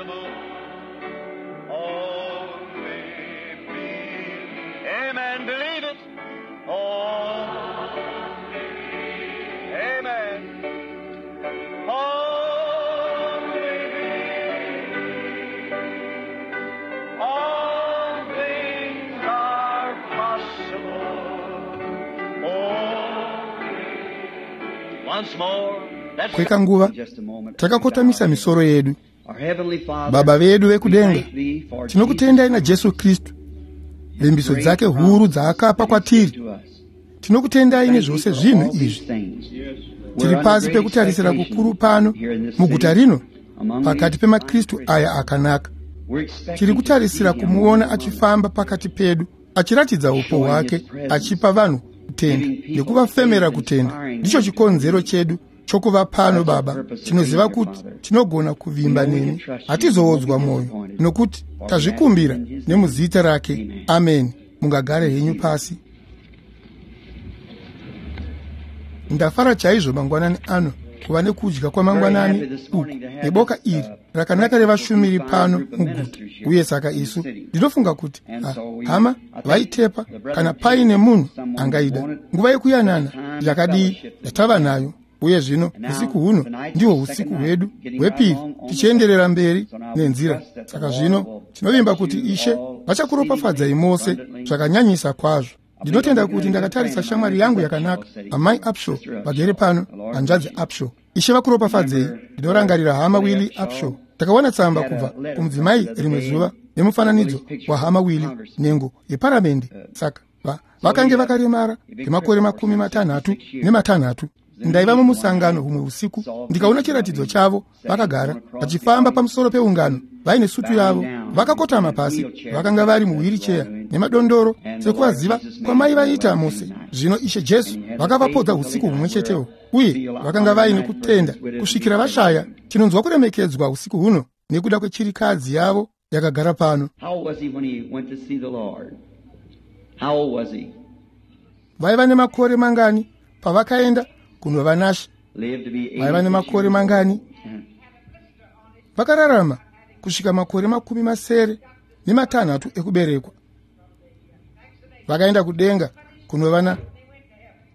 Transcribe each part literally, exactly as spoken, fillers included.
possible. Only believe. Amen. Believe it. Only. Amen. Only believe. All things are possible. Only. Once more. Let's Kwekanguva takakotamisa misoro yedu. Baba vedu vekudenga, tinokutendai naJesu Kristu, vimbiso dzake huru dzaakapa kwatiri. Tinokutendai nezvose zvinhu izvi. Tiri pasi pekutarisira kukuru pano muguta rino pakati pemaKristu aya akanaka. Tiri kutarisira kumuona achifamba pakati pedu, achiratidza upo hwake, achipa vanhu kutenda nekuvafemera kutenda. Ndicho chikonzero chedu chokuva pano, Baba. Tinoziva kuti tinogona kuvimba nemi, hatizoodzwa mwoyo, nokuti tazvikumbira nemuzita rake. Ameni. Mungagare henyu pasi. Ndafara chaizvo mangwanani ano kuva nekudya kwamangwanani uku neboka iri rakanaka revashumiri pano muguta. Uye saka isu ndinofunga kuti ha, hama vaitepa kana paine munhu angaida nguva yekuyanana yakadii yatava nayo. Uye zvino usiku huno ndihwo usiku hwedu hwepiri tichienderera mberi nenzira. Saka zvino tinovimba kuti Ishe vachakuropafadzai mose zvakanyanyisa kwazvo. Ndinotenda kuti ndakatarisa shamwari yangu yakanaka, Amai Upshaw, vagere pano, hanzvadzi Upshaw. Ishe vakuropafadzei. Ndinorangarira hama Willie Upshaw. Takawana tsamba kubva kumudzimai rimwe zuva nemufananidzo wahama Willie, nhengo yeparamende. Saka vakange vakaremara kwemakore makumi matanhatu nematanhatu. Ndaiva mumusangano humwe usiku, ndikaona chiratidzo chavo vakagara vachifamba pamusoro peungano vaine sutu yavo, vakakotama pasi, vakanga vari muwiricheya nemadondoro, sekuvaziva kwamai vaita mose. Zvino Ishe Jesu vakavapodza usiku humwe chetewo, uye vakanga vaine kutenda kusvikira vashaya. Tinonzwa kuremekedzwa usiku huno nekuda kwechirikadzi yavo yakagara pano. Vaiva nemakore mangani pavakaenda kunova naShe? Vaiva nemakore mangani? Vakararama kusvika makore makumi masere nematanhatu ekuberekwa. Vakaenda kudenga kunova na.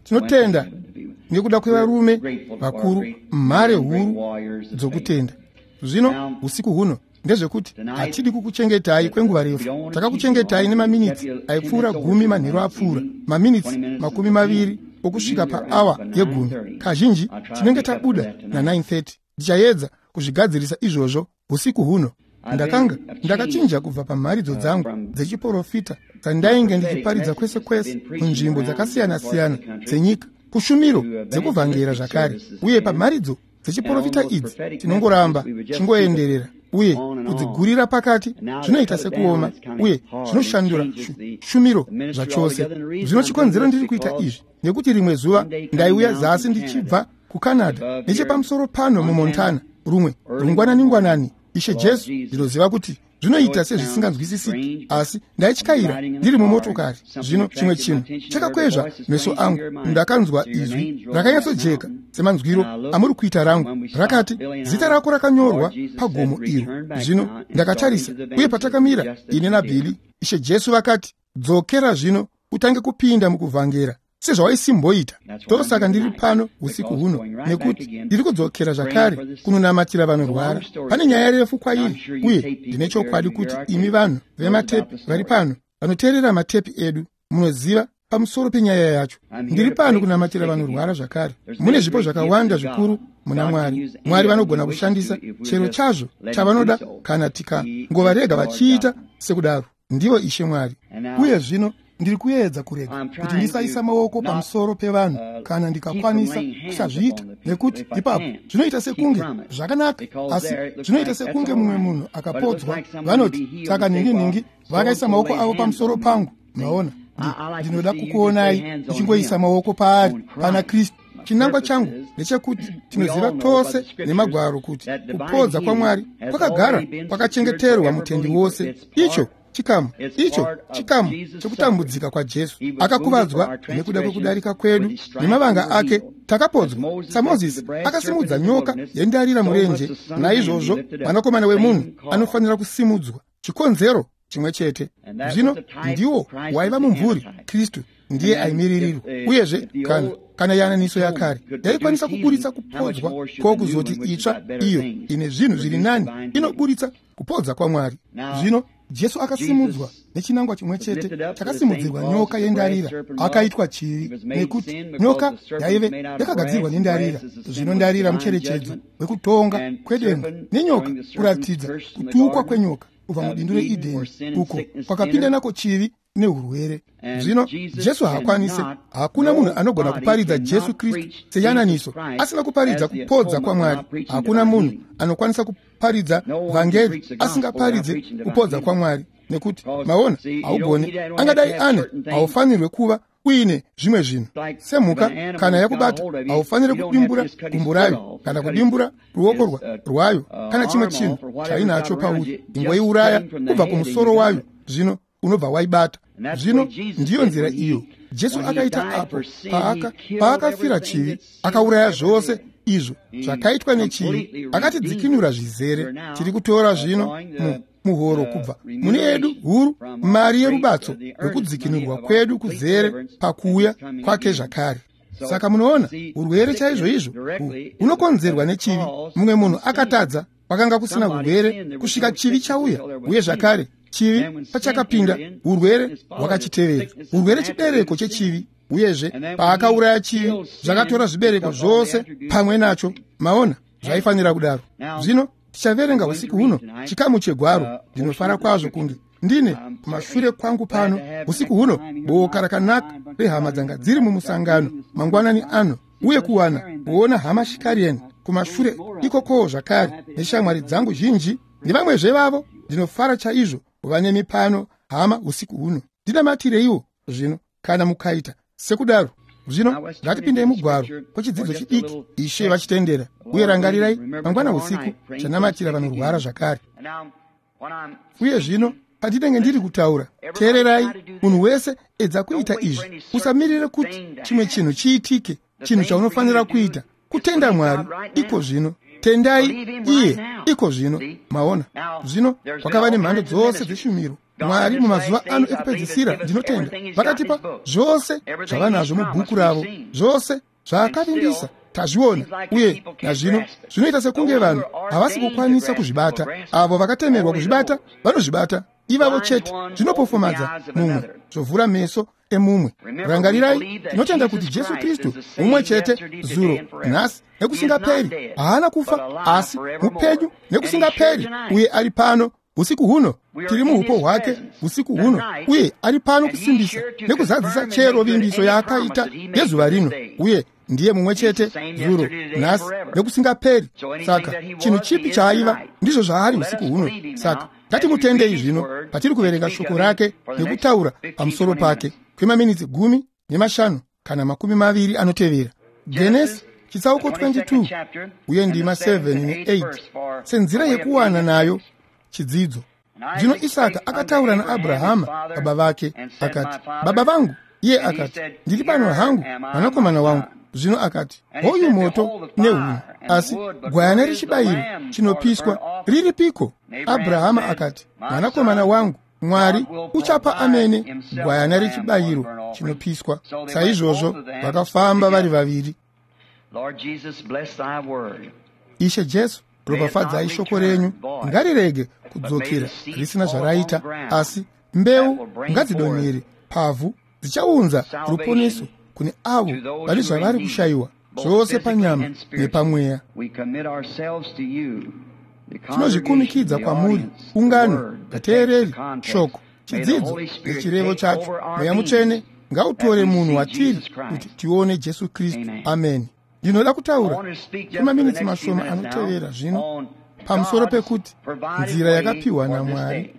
Tinotenda nekuda kwevarume vakuru, mhare huru dzokutenda. Zvino usiku huno ndezvekuti hatidi kukuchengetai kwenguva refu. Takakuchengetai nemaminitsi aipfuura gumi manheru apfuura, maminitsi makumi maviri okusvika paawa yegumi. Kazhinji tinenge tabuda na nine thirty. Ndichaedza kuzvigadzirisa izvozvo usiku huno. Ndakanga ndakachinja kubva pamharidzo dzangu dzechiprofita dzandainge ndichiparidza kwese kwese munzvimbo dzakasiyana-siyana dzenyika, kushumiro dzekuvhangera zvakare. Uye pamharidzo dzechiprofita idzi tinongoramba chingoenderera uye kudzigurira pakati zvinoita sekuoma uye zvinoshandura shumiro zvachose. Zvino chikonzero ndiri kuita izvi nekuti rimwe zuva ndaiuya zasi ndichibva kuCanada nechepamusoro pano muMontana, rumwe rungwanani-ngwanani. Ishe Jesu, ndinoziva kuti zvinoita sezvisinganzwisisiki, asi ndaityaira ndiri mumotokari. Zvino chimwe chinhu chakakwezva meso angu, ndakanzwa izwi rakanyatsojeka semanzwiro amuri kuita rangu, rakati, zita rako rakanyorwa pagomo iro. Zvino ndakatarisa, uye patakamira ini naBhili, Ishe Jesu vakati, dzokera zvino utange kupinda mukuvhangera sezvawaisimboita. Ndosaka ndiri pano usiku huno, nekuti ndiri kudzokera zvakare kunonamatira vanorwara. Pane nyaya refu kwairi, uye ndine chokwadi kuti imi vanhu vematepi vari pano vanoteerera matepi edu munoziva pamusoro penyaya yacho. Ndiri pano kunamatira vanorwara zvakare. Mune zvipo zvakawanda zvikuru muna Mwari. Mwari vanogona kushandisa chero chazvo chavanoda kana tikangovarega vachiita sekudaro. Ndivo Ishe Mwari. Uye zvino ndiri kuedza kurega kuti ndisaisa maoko pamusoro pevanhu kana ndikakwanisa kusazviita, nekuti ipapo zvinoita sekunge zvakanaka, asi zvinoita sekunge mumwe munhu akapodzwa. Vanoti saka nhingi nhingi vakaisa maoko avo pamusoro pangu. Maona, ndinoda kukuonai muchingoisa maoko paari, pana Kristu. Chinangwa changu ndechekuti tinoziva tose nemagwaro kuti kupodza kwaMwari kwakagara kwakachengeterwa mutendi wose. Icho Chikamu icho chikamu chekutambudzika kwaJesu. Akakuvadzwa nekuda kwekudarika kwedu, nemavanga ake takapodzwa. SaMozisi akasimudza nyoka yendarira murenje, naizvozvo mwanakomana wemunhu anofanira kusimudzwa. Chikonzero chimwe chete. Zvino ndiwo waiva mumvuri, Kristu ndiye aimiririrwa. Uyezve kana kana yananiso yakare yaikwanisa kuburitsa kupodzwa, kwokuzoti itsva iyo ine zvinhu zviri nani inoburitsa kupodza kwaMwari. Zvino Jesu akasimudzwa nechinangwa chimwe chete chakasimudzirwa nyoka yendarira. Akaitwa chivi nekuti nyoka yaive yakagadzirwa nendarira. Zvino ndarira mucherechedzo wekutonga kwedenga, nenyoka kuratidza kutukwa kwenyoka kubva mubindu reEdheni, uko kwakapinda nako chivi neurwere. Zvino Jesu haakwanise, hakuna munhu anogona kuparidza Jesu Kristu seyananiso asina kuparidza kupodza kwaMwari. Hakuna munhu anokwanisa kuparidza vhangeri asingaparidze kupodza kwaMwari, nekuti maona, haugoni, angadai ane, haufanirwe kuva uine zvimwe zvinhu. Semhuka kana yakubata, haufaniri kudimbura gumbo rayo kana kudimbura ruoko rwayo kana chimwe chinhu chainacho pauri. Ingoiuraya kubva kumusoro wayo, zvino unobva waibata. Zvino ndiyo nzira iyo Jesu akaita apo paaka paakafira chivi. Akauraya zvose izvo zvakaitwa nechivi, akatidzikinura zvizere. Tiri kutora zvino muhoro kubva mune yedu huru, mari yerubatso rwekudzikinurwa kwedu kuzere pakuuya kwake zvakare. Saka munoona, urwere chaizvo izvo hunokonzerwa nechivi. Mumwe munhu akatadza, kwakanga kusina urwere kusvika chivi chauya. Uye zvakare chivi pachakapinda, urwere hwakachitevera. Urwere chibereko chechivi. Uyezve paakauraya chivi, zvakatora zvibereko zvose pamwe nacho. Maona, zvaifanira kudaro. Zvino tichaverenga usiku huno chikamu chegwaro. Ndinofara kwazvo kunge ndine kumashure kwangu pano usiku huno boka rakanaka rehama dzanga dziri mumusangano mangwanani ano, uye kuwana kuona hama Shikarian kumashure ikokowo zvakare, neshamwari dzangu zhinji nevamwezve vavo. Ndinofara chaizvo kuva nemi pano, hama, usiku huno. Ndinamatireiwo zvino kana mukaita sekudaro. Zvino ngatipindei mugwaro kwechidzidzo chidiki, Ishe vachitendera. Uye rangarirai, mangwana usiku chanamatira vanorwara zvakare. Uye zvino pandinenge ndiri kutaura, teererai. Munhu wese edza kuita izvi. Usamirire kuti chimwe chinhu chiitike. Chinhu chaunofanira kuita kutenda Mwari iko zvino. Tendai iye iko zvino. Maona, zvino kwakava nemhando dzose dzeshumiro. Mwari mumazuva ano ekupedzisira, ndinotenda, vakatipa zvose zvavanazvo mubhuku ravo, zvose zvaakavimbisa tazviona. Uye nazvino zvinoita sekunge vanhu havasi kukwanisa kuzvibata. Avo vakatemerwa kuzvibata vanozvibata, ivavo chete. Zvinopofomadza mumwe, zvovhura meso emumwe. Rangarirai, tinotenda kuti Jesu Kristu mumwe chete zuro, nhasi nekusingaperi. Haana kufa, asi mupenyu nekusingaperi, uye ari pano usiku huno. Tiri muupo hwake usiku huno, uye ari pano kusimbisa nekuzadzisa chero vimbiso yaakaita yezuva rino. Uye ndiye mumwe chete zuro, nhasi nekusingaperi. Saka chinhu chipi chaaiva, ndizvo zvaari usiku huno. Saka ngatimutendei zvino patiri kuverenga shoko rake nekutaura pamusoro pake kwemaminitsi gumi nemashanu kana makumi maviri anotevera. Genesi chitsauko twenty two uye ndima seven ne eight, senzira yekuwana nayo chidzidzo. Zvino Isaka akataura naAbrahama baba vake, akati, Baba vangu. Iye akati, Ndiri pano hangu, mwanakomana wangu. Zvino akati, Hoyu moto nehuni, asi gwayana rechibayiro chinopiswa riripiko? Abrahama akati, Mwanakomana wangu, Mwari uchapa amene gwayana rechibayiro chinopiswa. Saizvozvo vakafamba vari vaviri. Ishe Jesu, ropafadzai shoko renyu, ngarirege kudzokera risina zvaraita, asi mbeu ngadzidonhere pavhu, dzichaunza ruponeso kune avo vane zvavari kushayiwa zvose panyama nepamweya. Tinozvikumikidza kwamuri, ungano, vateereri, shoko, chidzidzo nechirevo chacho. Mweya Mutsvene ngautore munhu watiri kuti tione Jesu Kristu. Amen. Ndinoda kutaura kwemaminitsi mashoma anotevera zvino pamusoro pekuti nzira yakapiwa naMwari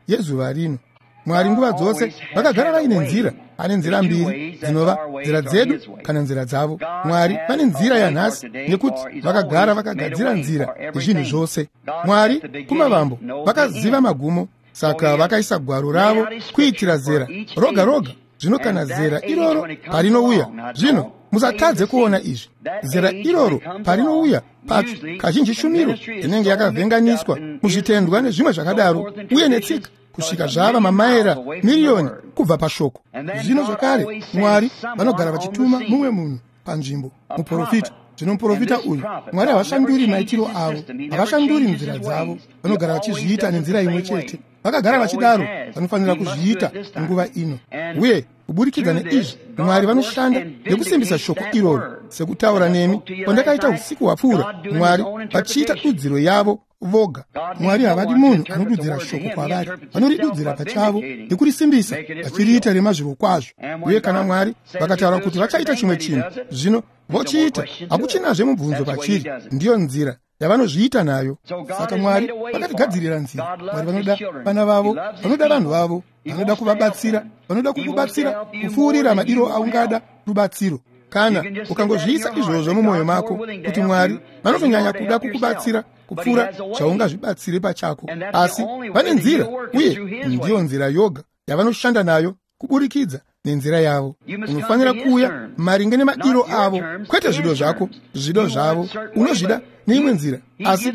yezuva rino. Mwari nguva dzose vakagara vaine nzira. Ane nzira mbiri dzinova nzira dzedu kana nzira dzavo. Mwari vane nzira yanhasi nekuti vakagara vakagadzira nzira yezvinhu zvose. Mwari kumavambo vakaziva magumo. Saka vakaisa gwaro ravo kuitira zera roga roga. Zvino kana zera iroro parinouya, zvino musatadze kuona izvi, zera iroro parinouya pacho, kazhinji shumiro inenge yakavhenganiswa muzvitendwa nezvimwe zvakadaro uye netsika, kusvika zvava mamaera miriyoni kubva pashoko. Zvino zvakare Mwari vanogara vachituma mumwe munhu panzvimbo, muprofita. Zvino muprofita uyu, Mwari havashanduri maitiro avo, havashanduri nzira dzavo, vanogara vachizviita nenzira imwe chete. Vakagara vachidaro, vanofanira kuzviita nguva ino. Uye kuburikidza neizvi, Mwari vanoshanda nekusimbisa shoko iroro. Sekutaura nemi kwandakaita usiku hwapfuura, Mwari vachiita dudziro yavo voga. Mwari havadi munhu anodudzira shoko kwavari, vanoridudzira pachavo nekurisimbisa, vachiriita remazvirokwazvo. Uye kana Mwari vakataura kuti vachaita chimwe chinhu, zvino vochiita, hakuchinazve mubvunzo pachiri. Ndiyo nzira yavanozviita nayo. Saka Mwari vakatigadzirira nzira. Mwari vanoda vana vavo, vanoda vanhu vavo, vanoda kuvabatsira, vanoda kukubatsira kupfuurira madiro aungada rubatsiro. Kana ukangozviisa izvozvo mumwoyo mako, kuti Mwari vanotonyanya kuda kukubatsira kupfuura zvaungazvibatsire pachako. Asi vane nzira, uye ndiyo nzira yoga yavanoshanda nayo, kuburikidza nenzira yavo. Unofanira kuuya maringe nemadiro avo, kwete zvido zvako, zvido zvavo unozvida neimwe nzira, asi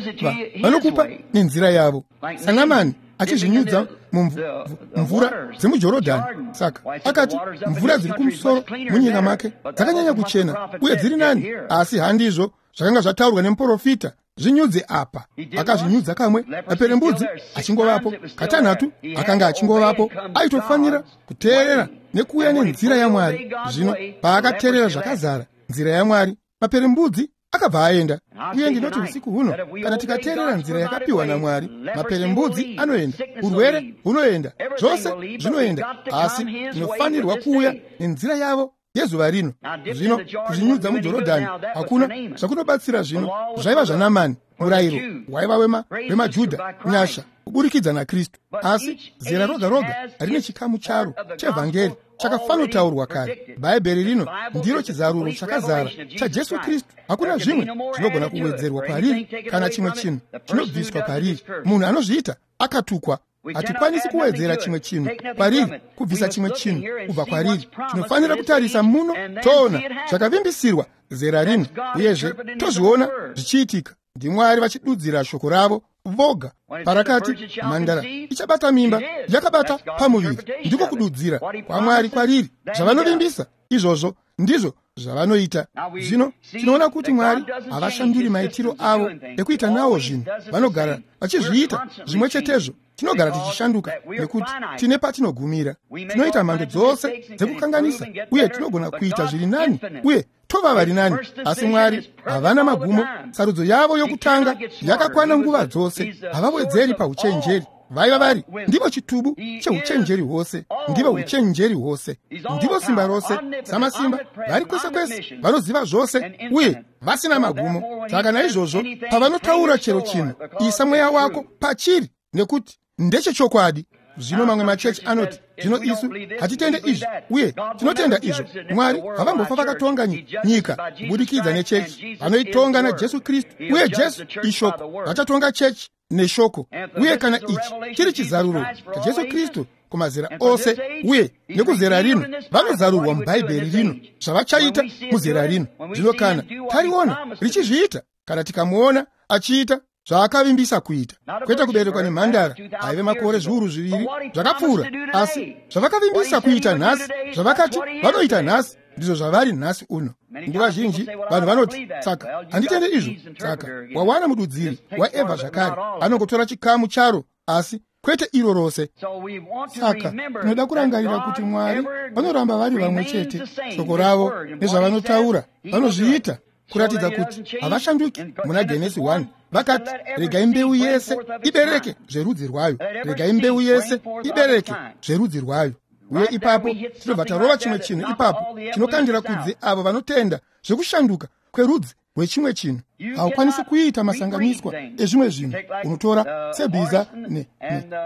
vanokupa nenzira yavo. SaNamani achizvinyudza mumvura dzemuJorodhani, saka akati mvura dziri kumusoro munyika make dzakanyanya kuchena uye dziri nani, asi handizvo zvakanga zvataurwa nemuprofita. Zvinyudze apa. Akazvinyudza kamwe, maperembudzi achingovapo, katanhatu akanga achingovapo. Aitofanira kuteerera nekuuya nenzira yaMwari. Zvino paakateerera zvakazara nzira yaMwari, maperembudzi akabva aenda. Uye ndinoti usiku huno, kana tikateerera nzira yakapiwa naMwari, maperembudzi anoenda, urwere hunoenda, zvose zvinoenda, asi tinofanirwa kuuya nenzira yavo yezuva rino. Zvino kuzvinyudza muJorodhani hakuna zvakunobatsira. Zvino zvaiva zvaNamani, murayiro waiva wemaJudha, nyasha kuburikidza naKristu. Asi zera roga roga rine chikamu charo chevhangeri chakafanotaurwa kare. Bhaibheri rino ndiro chizaruro chakazara chaJesu Kristu. Hakuna zvimwe zvinogona kuwedzerwa kwariri kana chimwe chinhu chinobviswa pariri. Munhu anozviita akatukwa. Hatikwanisi kuwedzera chimwe chinhu kwariri, kubvisa chimwe chinhu kubva kwariri. Tinofanira kutarisa muno toona zvakavimbisirwa zera rino, uyezve tozviona zvichiitika. NdiMwari vachidudzira shoko ravo voga. Parakati mhandara ichabata mimba, yakabata pamuviri. Ndiko kududzira kwaMwari kwariri. Zvavanovimbisa izvozvo ndizvo zvavanoita. Zvino tinoona kuti Mwari havashanduri maitiro avo ekuita nawo zvinhu. Vanogara vachizviita zvimwe chetezvo. Tinogara tichishanduka nekuti tine patinogumira. Tinoita mhando dzose dzekukanganisa, uye tinogona kuita zviri nani uye tova vari nani, asi Mwari havana magumo. Sarudzo yavo yokutanga yakakwana nguva dzose. Havawedzeri pauchenjeri. Vaiva vari ndivo chitubu cheuchenjeri hwose, ndivo uchenjeri hwose, ndivo simba rose, samasimba, vari kwese kwese, vanoziva zvose uye vasina magumo. Saka naizvozvo pavanotaura chero chinhu, isa mweya wako pachiri, nekuti ndechechokwadi. Zvino mamwe machechi anoti, zvino isu hatitende izvi uye tinotenda izvo. Mwari havambofa vakatonga nyika kubudikidza nechechi. Vanoitonga naJesu Kristu, uye Jesu ishoko. Vachatonga chechi neshoko. Uye kana ichi chiri chizaruro chaJesu Kristu kumazera ose uye nekuzera rino, vanozarurwa muBhaibheri rino zvavachaita muzera rino. Zvino kana tariona richizviita, kana tikamuona achiita zvaakavimbisa kuita, kwete kuberekwa nemhandara aive makore zviuru zviviri zvakapfuura, asi zvavakavimbisa kuita nhasi, zvavakati vanoita nhasi, ndizvo zvavari nhasi uno. Nguva zhinji vanhu vanoti, saka handitende izvo. Saka wawana mududziri waEvha zvakare, anongotora chikamu charo, asi kwete iro rose. Saka tinoda kurangarira kuti Mwari vanoramba vari vamwe chete. Shoko ravo nezvavanotaura vanozviita, kuratidza kuti havashanduki. Muna Genesi one vakati, regai mbeu yese ibereke zverudzi rwayo, regai mbeu yese ibereke zverudzi rwayo. Uye ipapo tinobva tarova chimwe chinhu ipapo chinokandira kudzi avo vanotenda zvekushanduka kwerudzi rwechimwe chinhu. Haukwanisi kuita masanganiswa ezvimwe zvinhu. Unotora sebhiza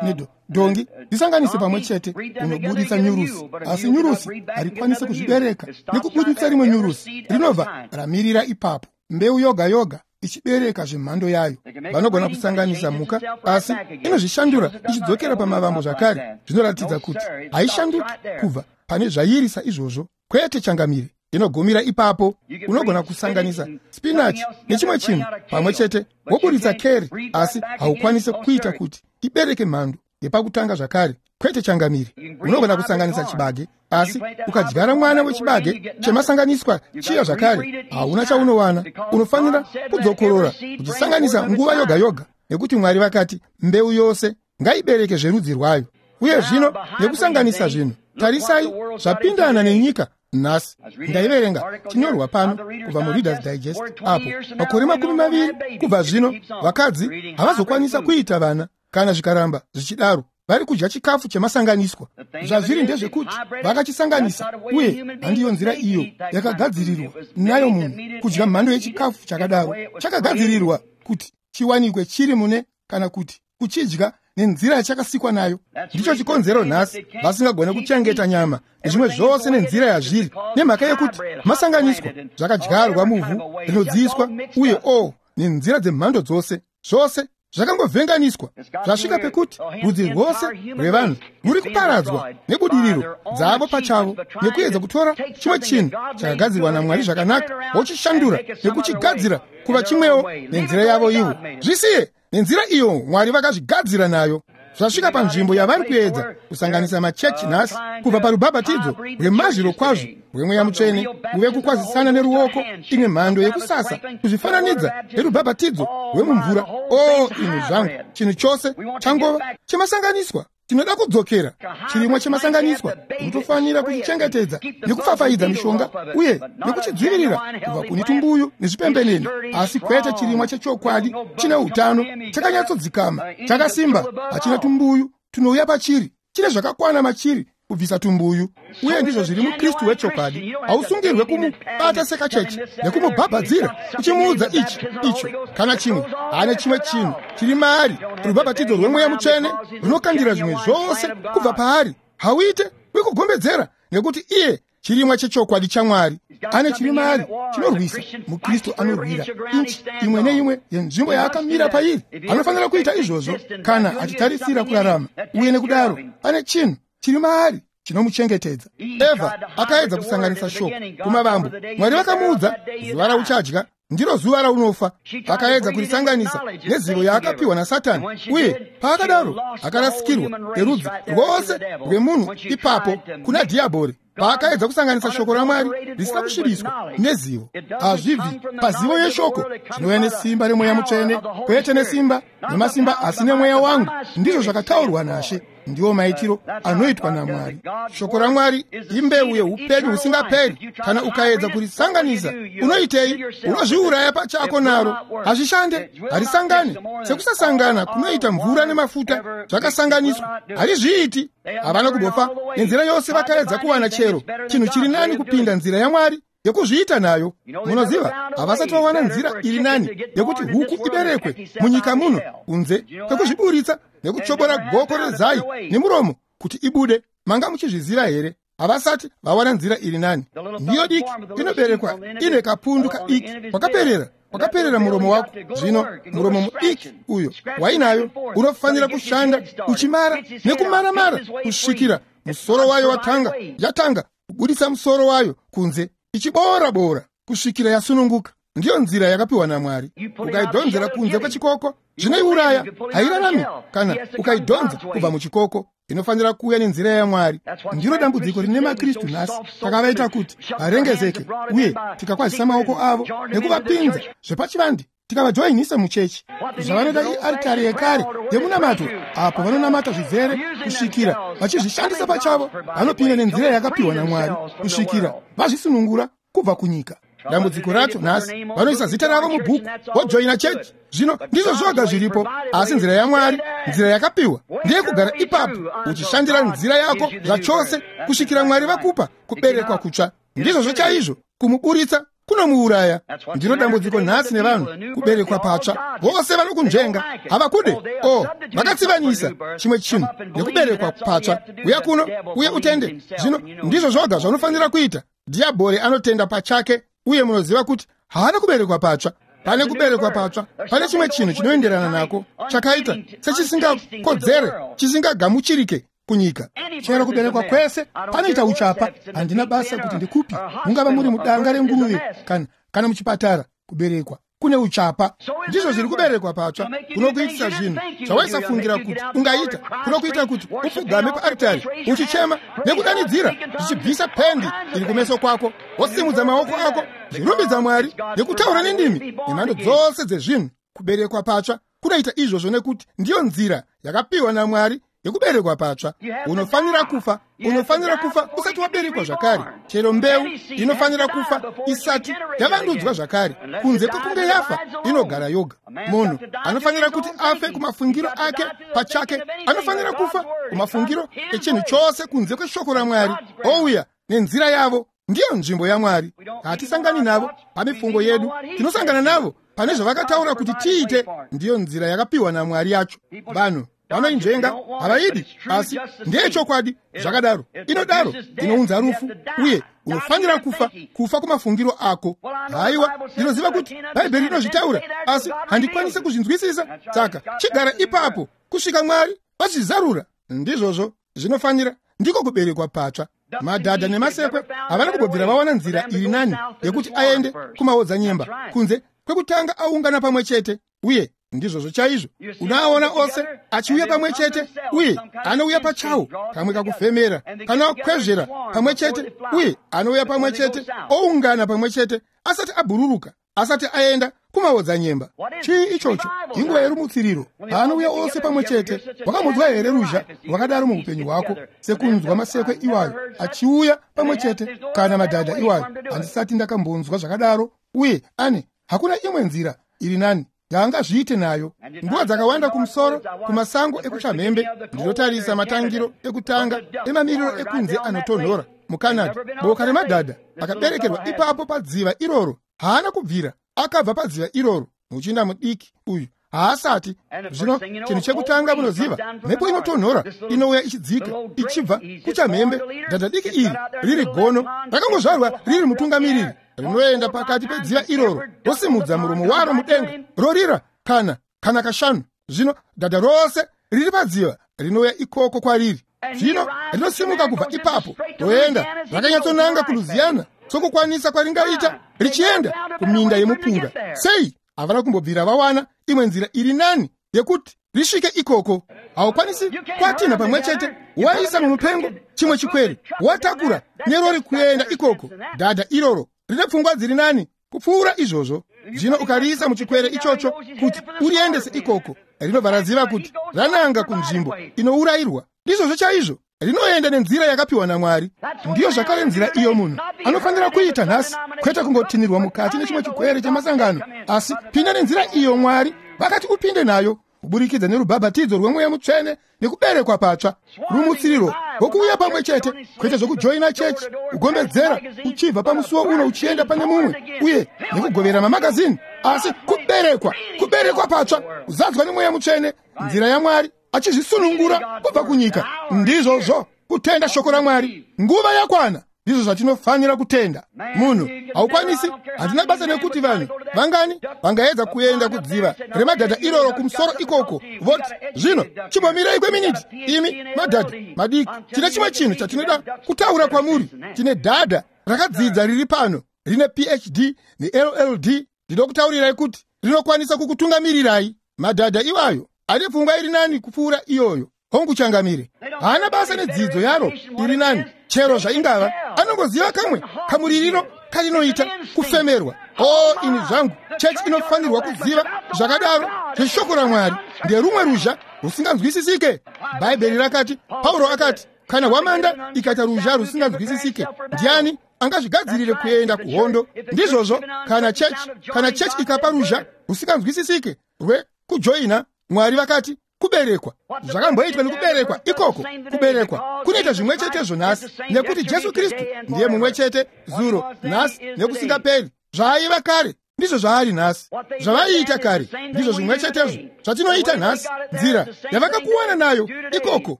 nedhongi, dzisanganise pamwe chete, unobudisa nyurusi. Asi nyurusi harikwanisi kuzvibereka nekubudisa rimwe nyurusi, rinobva ramirira ipapo. Mbeu yoga yoga ichibereka zvemhando yayo. Vanogona kusanganisa mhuka, asi inozvishandura ichidzokera pamavambo zvakare. Zvinoratidza kuti haishanduki kubva pane zvairi saizvozvo. Kwete changamire, inogumira ipapo. Unogona kusanganisa spinachi nechimwe chinhu pamwe chete woburitsa keri, asi haukwanisi kuita kuti ibereke mhando yepakutanga zvakare. Kwete changamire. Unogona kusanganisa chibage, asi ukadyara mwana wechibage chemasanganiswa chiya zvakare, hauna chaunowana. Unofanira kudzokorora uchisanganisa nguva yoga yoga, nekuti Mwari vakati mbeu yose ngaibereke zverudzi rwayo. Uye zvino nekusanganisa zvinhu, tarisai zvapindana nenyika nhasi. Ndaiverenga chinyorwa pano kubva muReader's Digest apo makore makumi maviri kubva zvino vakadzi havazokwanisa kuita vana kana zvikaramba zvichidaro. Vari kudya chikafu chemasanganiswa. Zvazviri ndezvekuti vakachisanganisa, uye handiyo nzira iyo yakagadzirirwa nayo munhu kudya mhando yechikafu chakadaro. Chakagadzirirwa kuti chiwanikwe chiri mune, kana kuti kuchidya nenzira yachakasikwa nayo. Ndicho chikonzero nhasi vasingagone kuchengeta nyama nezvimwe zvose nenzira yazviri, nemhaka yekuti masanganiswa zvakadyarwa muvhu rinodziiswa, uye o nenzira dzemhando dzose, zvose zvakangovhenganiswa. Zvasvika pekuti rudzi rwose rwevanhu rwuri kuparadzwa nebudiriro dzavo pachavo, nekuedza kutora chimwe chinhu chakagadzirwa naMwari zvakanaka vochishandura nekuchigadzira kuva chimwewo nenzira yavo ivo. Zvisiye nenzira iyo Mwari vakazvigadzira nayo. Zvasvika panzvimbo yavari kuedza kusanganisa machechi nhasi, kubva parubhabhatidzo rwemazviro kwazvo rwemweya mutsvene kuve kukwazisana neruoko, imwe mhando yekusasa kuzvifananidza nerubhabhatidzo rwemumvura. O inhu zvangu, chinhu chose changova chemasanganiswa. Tinoda kudzokera chirimwa chemasanganiswa. Unotofanira kuchichengetedza nekufafaidza mishonga uye nekuchidzivirira kubva kune tumbuyu nezvipembenene, asi kwete chirimwa chechokwadi chine utano, chakanyatsodzikama, chakasimba, hachina tumbuyu tunouya pachiri, chine zvakakwana machiri kubvisa tumbuyu. Uye ndizvo zviri muKristu wechokwadi. Hausungirwe kumubata sekachechi nekumubhabhadzira uchimuudza ichi, icho kana chimwe. Haane chimwe chinhu chiri maari. Rubhabhatidzo rwemweya mutsvene runokandira zvimwe zvose kubva paari. Hauite wekugombedzera, nekuti iye chirimwa chechokwadi chaMwari. Ane chiri maari chinorwisa. MuKristu anorwira inchi imwe neimwe yenzvimbo yaakamira pairi. Anofanira kuita izvozvo kana achitarisira kurarama, uye nekudaro ane chinhu chiri maari chinomuchengetedza. Eva akaedza kusanganisa shoko kumavambo. Mwari vakamuudza, zuva rauchadya ndiro zuva raunofa. Akaedza kurisanganisa nezivo yaakapiwa naSatani, uye paakadaro akarasikirwa nerudzi rwose rwemunhu ipapo kuna Dhiabhori. Paakaedza kusanganisa shoko raMwari risina kusvibiswa nezivo. Hazvibvi pazivo yeshoko, zvinouya nesimba remweya mutsvene, kwete nesimba nemasimba, asi nemweya wangu. Ndizvo zvakataurwa naShe. Ndiwo maitiro anoitwa naMwari. Shoko raMwari imbeu yeupenyu husingaperi. Kana ukaedza kurisanganisa, unoitei? Unozviuraya pachako naro. Hazvishande, harisangani. Sekusasangana kunoita mvura nemafuta zvakasanganiswa, harizviiti. Havana kumbofa nenzira yose vakaedza kuwana chero chinhu chiri nani kupinda nzira yaMwari yekuzviita nayo. Munoziva, havasati vawana nzira iri nani yekuti huku iberekwe munyika muno kunze kwekuzviburitsa nekuchobora goko rezai nemuromo kuti ibude. Manga muchizviziva here? Havasati vawana nzira iri nani. Nhiyo diki inoberekwa ine kapundu kadiki kwakaperera kwakaperera muromo wako. Zvino muromo mudiki uyo wainayo unofanira kushanda uchimara nekumara-mara kusvikira musoro wayo watanga yatanga kubudisa musoro wayo kunze, ichiboora-boora kusvikira yasununguka. Ndiyo nzira yakapiwa naMwari. Ukaidhonzera kunze kwechikoko, zvinoiuraya, hairarami. Kana ukaidhonza kubva muchikoko, inofanira kuuya nenzira yaMwari. Ndiro dambudziko rine maKristu nhasi. Takavaita kuti varengezeke, uye tikakwazisa maoko avo nekuvapinza zvepachivande, tikavajoinisa muchechi. Zvavanoda iaritari yekare yemunamato, apo vanonamata zvizere kusvikira vachizvishandisa pachavo. Vanopinda nenzira yakapiwa naMwari kusvikira vazvisunungura kubva kunyika. Dambudziko racho nhasi, vanoisa zita ravo mubhuku vojoina chechi. Zvino ndizvo zvoga zviripo, asi nzira yaMwari, nzira yakapiwa, ndeyekugara ipapo uchishandira nzira yako zvachose kusvikira Mwari vakupa kuberekwa kutsva. Ndizvozvo chaizvo. Kumuburitsa kunomuuraya. Ndiro dambudziko nhasi nevanhu, kuberekwa patsva. Vose vanokunzvenga, havakude. O, vakatsivanisa chimwe chinhu nekuberekwa patsva. Uya kuno uye utende. Zvino ndizvo zvoga zvaunofanira kuita. Dhiabhori anotenda pachake, uye munoziva kuti haana kuberekwa patsva. Pane kuberekwa patsva, pane chimwe chinhu chinoenderana nako, chakaita sechisingakodzere, chisingagamuchirike kunyika. Chero kuberekwa kwese panoita uchapa. Handina basa kuti ndikupi, mungava muri mudanga renguruve kana kana muchipatara, kuberekwa kune uchapa. Ndizvo zviri kuberekwa patsva kunokuitisa zvinhu zvawaisafungira kuti ungaita, kunokuita kuti upfugame paaritari uchichema nekudanidzira, zvichibvisa pendi iri kumeso kwako, wosimudza maoko ako zvirumbidza Mwari nekutaura nendimi nemhando dzose dzezvinhu. Kuberekwa patsva kunoita izvozvo nekuti ndiyo nzira yakapiwa naMwari yekuberekwa patsva. Unofanira kufa, unofanira kufa usati waberekwa zvakare. Chero mbeu inofanira kufa isati yavandudzwa zvakare. Kunze kwekunge yafa, inogara yoga. Munhu anofanira kuti afe kumafungiro ake pachake, anofanira kufa kumafungiro echinhu chose kunze kweshoko raMwari, ouya nenzira yavo. Ndiyo nzvimbo yaMwari. Hatisangani navo pamifungo yedu, tinosangana navo pane zvavakataura kuti tiite. Ndiyo nzira yakapiwa naMwari yacho. Vanhu vanoinzvenga, havaidi, asi ndeyechokwadi. Zvakadaro inodaro, inounza rufu, uye unofanira kufa, kufa kumafungiro ako. Haiwa, ndinoziva kuti Bhaibheri rinozvitaura, asi handikwanisi kuzvinzwisisa. Saka chigara ipapo kusvika Mwari vachizarura. Ndizvozvo zvinofanira, ndiko kuberekwa patsva. Madhadha nemasekwe havana kumbobvira vawana nzira iri nani yekuti aende kumaodzanyemba kunze kwekutanga aungana pamwe chete. Uye ndizvozvo chaizvo, unoaona ose achiuya pamwe chete, uye anouya pachawo kamwe kakufemera kanokwezvera pamwe chete, uye anouya pamwe chete oungana pamwe chete asati abhururuka, asati aenda kumaodzanyemba. Chii ichocho? Inguva yerumutsiriro, paanouya ose pamwe chete. Wakamunzwa here ruzha rwakadaro muupenyu hwako, sekunzwa masekwe iwayo achiuya pamwe chete kana madhadha iwayo? Handisati ndakambonzwa zvakadaro. Uye ane hakuna imwe nzira iri nani yaangazviite nayo. Nguva dzakawanda kumusoro kumasango ekuchamhembe, ndinotarisa matangiro ekutanga emamiriro ekunze anotonhora muCanada. Boka remadhadha akaberekerwa ipapo padziva iroro haana kubvira akabva padziva iroro. Muchinda mudiki uyu haasati. Zvino chinhu chekutanga munoziva, mhepo inotonhora inouya ichidzika ichibva kuchamhembe. Dhadha diki iri riri gono, rakangozvarwa riri mutungamiriri, rinoenda pakati pedziva iroro, rosimudza muromo waro mudenga, rorira kana kana kashanu. Zvino dhadha rose riri padziva rinouya ikoko kwariri. Zvino rinosimuka kubva ipapo roenda rakanyatsonanga kuLouisiana sokukwanisa kwaringaita, richienda kuminda yemupunga. Sei? Havana kumbobvira vawana imwe nzira iri nani yekuti risvike ikoko. Haukwanisi kwatinha pamwe chete, waisa mumupengo chimwe chikwere, watakura nerori kuenda ikoko. Dhadha iroro rine pfungwa dziri nani kupfuura izvozvo. Zvino ukariisa muchikwere ichocho kuti uriendese ikoko, rinobva raziva kuti rananga kunzvimbo inourayirwa. Ndizvozvo chaizvo, rinoenda nenzira yakapiwa naMwari. Ndiyo zvakare nzira iyo munhu anofanira kuita nhasi, kwete kungotinirwa mukati nechimwe chikwere chemasangano, asi pinda nenzira iyo Mwari vakati upinde nayo, kuburikidza nerubhabhatidzo rwemweya mutsvene nekuberekwa patsva, rumutsiriro rwokuuya pamwe chete, kwete zvokujoina chechi, kugombedzera uchibva pamusuwo uno uchienda pane mumwe, uye nekugovera mamagazini, asi kuberekwa, kuberekwa patsva, kuzadzwa nemweya mutsvene, nzira yaMwari achizvisunungura kubva kunyika. Ndizvozvo, kutenda shoko raMwari. Nguva yakwana. Ndizvo zvatinofanira kutenda. Munhu haukwanisi, handina basa nekuti vanhu vangani vangaedza kuenda kudziva remadhadha iroro kumusoro ikoko, voti zvino chimbomirai kweminiti, imi madhadha madiki, tine chimwe chinhu chatinoda kutaura kwamuri. Tine dhadha rakadzidza riri pano rine P H D ne L L D. Ndinokutaurirai kuti rinokwanisa kukutungamirirai. Madhadha iwayo ane pfungwa iri nani kupfuura iyoyo. Hongu changamire, haana basa nedzidzo yaro iri nani, chero zvaingava, anongoziva kamwe kamuririro karinoita kufemerwa. O ini zvangu, chechi inofanirwa kuziva zvakadaro zveshoko raMwari. Nderumwe ruzha rusinganzwisisike. Bhaibheri rakati, Pauro akati, kana hwamanda ikaita ruzha rusinganzwisisike, ndiani angazvigadzirire kuenda kuhondo? Ndizvozvo, kana chechi, kana chechi ikapa ruzha rusinganzwisisike rwekujoina, Mwari vakati kuberekwa. Zvakamboitwa nekuberekwa ikoko, kuberekwa kunoita zvimwe chetezvo nhasi, nekuti Jesu Kristu ndiye mumwe chete zuro, nhasi nekusingaperi. Zvaaiva kare ndizvo zvaari nhasi, zvavaiita kare ndizvo zvimwe chetezvo zvatinoita nhasi. Nzira yavakakuwana nayo ikoko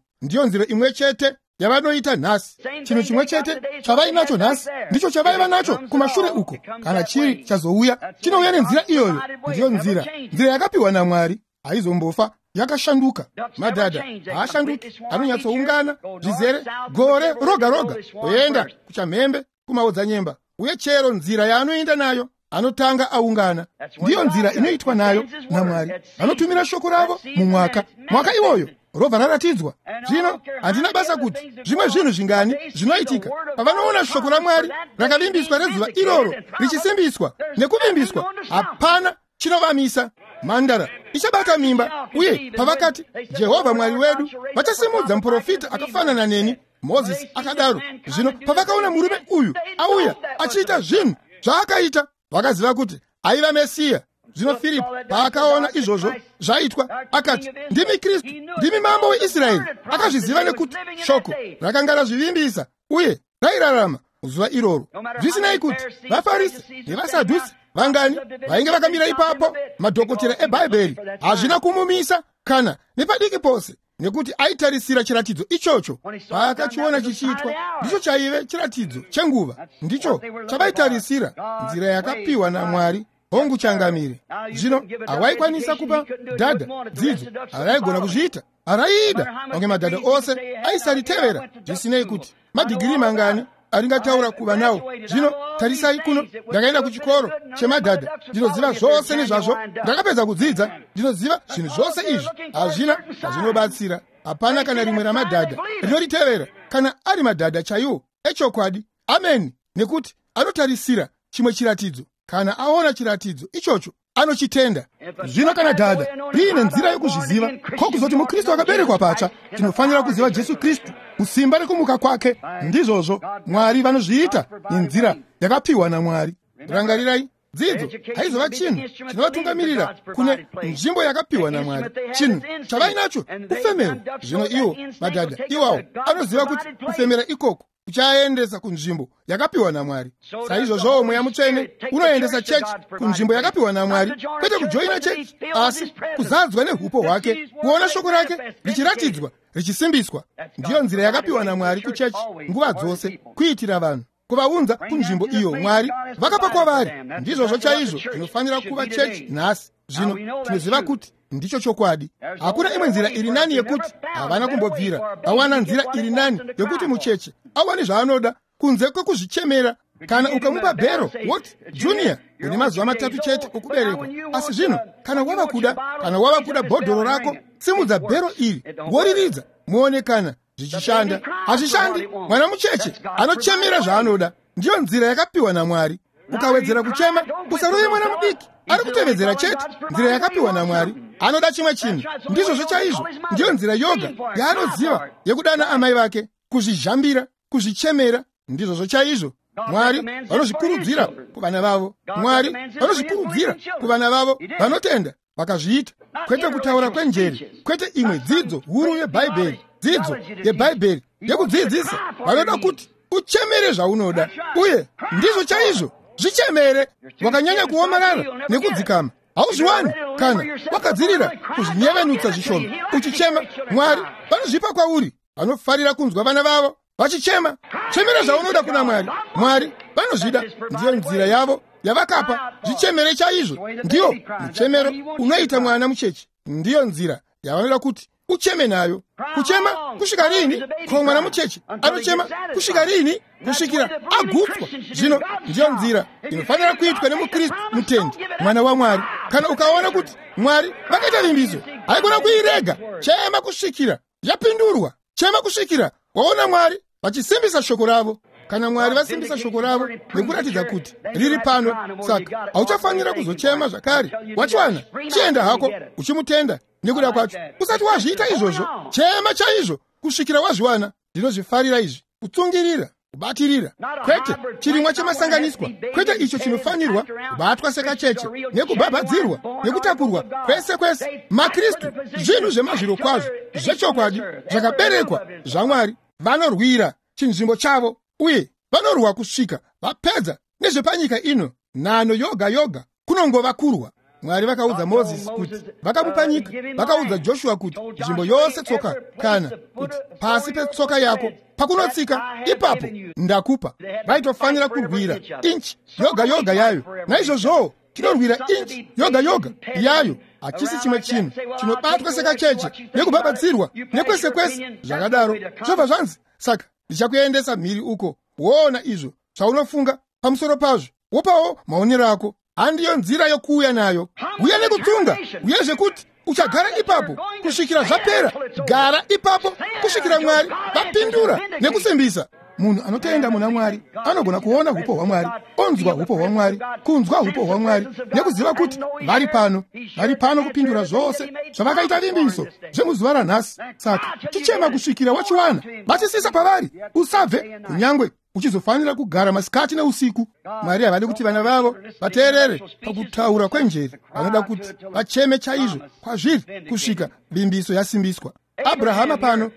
ndiyo nzira imwe chete yavanoita nhasi. Chinhu chimwe chete chavainacho nhasi ndicho chavaiva nacho kumashure uko. Kana chiri chazouya, chinouya nenzira iyoyo. Ndiyo nzira, nzira yakapiwa naMwari, haizombofa yakashanduka. Madhadha haashanduki, anonyatsoungana zvizere gore roga roga kuenda kuchamhembe kumaodzanyemba, uye chero nzira yaanoenda nayo anotanga aungana. Ndiyo nzira inoitwa nayo naMwari. Vanotumira shoko ravo mumwaka, mwaka iwoyo robva raratidzwa. Zvino handina basa kuti zvimwe zvinhu zvingani zvinoitika. Pavanoona shoko raMwari rakavimbiswa rezuva iroro richisimbiswa nekuvimbiswa, hapana chinovamisa. Mhandara ichabata mimba, uye pavakati Jehovha Mwari wedu vachasimudza muprofita akafanana neni, Mozisi akadaro. Zvino pavakaona murume uyu auya achiita zvinhu zvaakaita, vakaziva kuti aiva Mesiya. Zvino Firipo paakaona izvozvo zvaitwa, akati, ndimi Kristu, ndimi mambo weIsraeri. Akazviziva nekuti shoko rakanga razvivimbisa uye rairarama zuva iroro. Zvisinei kuti vaFarisi nevaSadhusi vangani vainge vakamira ipapo, madhokotera eBhaibheri, hazvina kumumisa kana nepadiki pose, nekuti aitarisira chiratidzo ichocho. Paakachiona chichiitwa, ndicho chaive chiratidzo chenguva, ndicho chavaitarisira, nzira yakapiwa naMwari. Hongu changamire. Zvino hawaikwanisa kupa dhadha dzidzo, haraigona kuzviita, haraida. Mamwe madhadha ose aisaritevera, zvisinei kuti madhigiri mangani aringataura kuva nawo. Zvino tarisai kuno, ndakaenda kuchikoro chemadhadha, ndinoziva zvose nezvazvo, ndakapedza kudzidza, ndinoziva zvinhu zvose izvi. Hazvina hazvinobatsira. Hapana kana rimwe ramadhadha rinoritevera, kana ari madhadha chaiwo echokwadi. Ameni. Nekuti anotarisira chimwe chiratidzo. Kana aona chiratidzo ichocho, anochitenda. Zvino kana dhadha riine nzira yokuzviziva, ko kuzoti muKristu akaberekwa patsva, tinofanira kuziva Jesu Kristu musimba rekumuka kwake. Ndizvozvo Mwari vanozviita nenzira yakapiwa naMwari. Rangarirai, dzidzo haizova chinhu chinovatungamirira kune nzvimbo yakapiwa naMwari. Chinhu chavainacho kufemera. Zvino iwo madhadha iwawo anoziva kuti kufemera ikoko uchaendesa kunzvimbo yakapiwa naMwari. Saizvozvowo Mweya Mutsvene unoendesa chechi kunzvimbo yakapiwa naMwari, kwete kujoina chechi, asi kuzadzwa neupo hwake, kuona shoko rake richiratidzwa richisimbiswa. Ndiyo nzira yakapiwa naMwari kuchechi nguva dzose, kuitira vanhu, kuvaunza kunzvimbo iyo Mwari vakapa kwavari. Ndizvozvo chaizvo zvinofanira kuva chechi nhasi. Zvino tinoziva kuti ndicho chokwadi. Hakuna imwe nzira iri nani yekuti havana kumbobvira vawana nzira iri nani yekuti mucheche awane zvaanoda kunze kwekuzvichemera. Kana ukamupa bhero woti, Junior, une mazuva matatu chete okuberekwa, asi zvino kana wava kuda kana wava kuda bhodhoro rako, simudza bhero iri woriridza muone kana zvichishanda. Hazvishandi. Mwana mucheche anochemera zvaanoda. Ndiyo nzira yakapiwa naMwari. Ukawedzera kuchema, usarove mwana mudiki ari kutevedzera chete nzira yakapiwa naMwari. Anoda chimwe chinhu. Ndizvozvo chaizvo. Ndiyo nzira yoga yaanoziva yekudana amai vake, kuzvizhambira, kuzvichemera. Ndizvozvo chaizvo. Mwari vanozvikurudzira kuvana vavo. Mwari vanozvikurudzira kuvana vavo vanotenda vakazviita. Kwete kutaura kwenjere, kwete imwe dzidzo huru yeBhaibheri, dzidzo yeBhaibheri yekudzidzisa. Vanoda kuti uchemere zvaunoda, uye ndizvo chaizvo. Zvichemere. Wakanyanya kuomarara nekudzikama, hauzviwani. Kana wakadzirira kuzvinyevenutsa zvishoma uchichema, Mwari vanozvipa kwauri. Vanofarira kunzwa vana vavo vachichema. Chemera zvaunoda kuna Mwari. Mwari vanozvida. Ndiyo nzira yavo yavakapa. Zvichemere chaizvo. Ndiyo muchemero unoita mwana mucheche. Ndiyo nzira yavanoda kuti ucheme nayo. Kuchema kusvika rini? Ko mwana mucheche anochema kusvika rini? Kusvikira agutswa. Zvino ndiyo nzira inofanira kuitwa nemuKristu mutendi, mwana waMwari. Kana ukaona kuti Mwari vakaita vimbiso, haikona kuirega. Chema kusvikira yapindurwa. Chema kusvikira waona Mwari vachisimbisa shoko ravo. Kana Mwari vasimbisa shoko ravo nekuratidza kuti riri pano, saka hauchafanira kuzochema zvakare. Wachiwana, chienda hako uchimutenda nekuda kwacho. Usati wazviita izvozvo, chema chaizvo kusvikira wazviwana. Ndinozvifarira izvi, kutsungirira, kubatirira. Kwete chirimwa chemasanganiswa, kwete icho chinofanirwa kubatwa sekacheche nekubhabhadzirwa nekutakurwa kwese kwese. MaKristu zvinhu zvemazviro kwazvo zvechokwadi zvakaberekwa zvaMwari. Vanorwira chinzvimbo chavo uye vanorwa kusvika vapedza nezvepanyika ino. Nhano yoga yoga kunongova kurwa. Mwari vakaudza Mozisi kuti vakamupa nyika, vakaudza Joshua kuti nzvimbo yose tsoka kana kuti pasi petsoka yako pakunotsika ipapo ndakupa. Vaitofanira kurwira inchi yoga yoga yayo. Naizvozvowo tinorwira inchi yoga yoga yayo. Hachisi chimwe chinhu chinobatwa sekacheche nekubabatsirwa nekwese kwese zvakadaro. Zvobva zvanzi, saka ndichakuendesa mhiri uko, woona izvo zvaunofunga pamusoro pazvo, wopawo maonero ako. Handiyo nzira yokuuya nayo. Uya nekutsunga, uyezve kuti uchagara ipapo kusvikira zvapera. Gara ipapo kusvikira Mwari vapindura nekusimbisa. Munhu anotenda muna Mwari anogona kuona hupo hwaMwari, onzwa hupo hwaMwari, kunzwa hupo hwaMwari nekuziva kuti vari pano, vari pano kupindura zvose zvavakaita vimbiso zvemuzuva ranhasi. Saka chichema kusvikira wachiwana, batisisa pavari, usabve kunyangwe uchizofanira kugara masikati neusiku. Mwari havadi kuti vana vavo vateerere pakutaura kwenjeri, vanoda kuti vacheme chaizvo kwazviri kusvika vimbiso yasimbiswa. Abrahama pano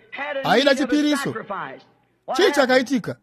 aida chipiriso. Chii chakaitika?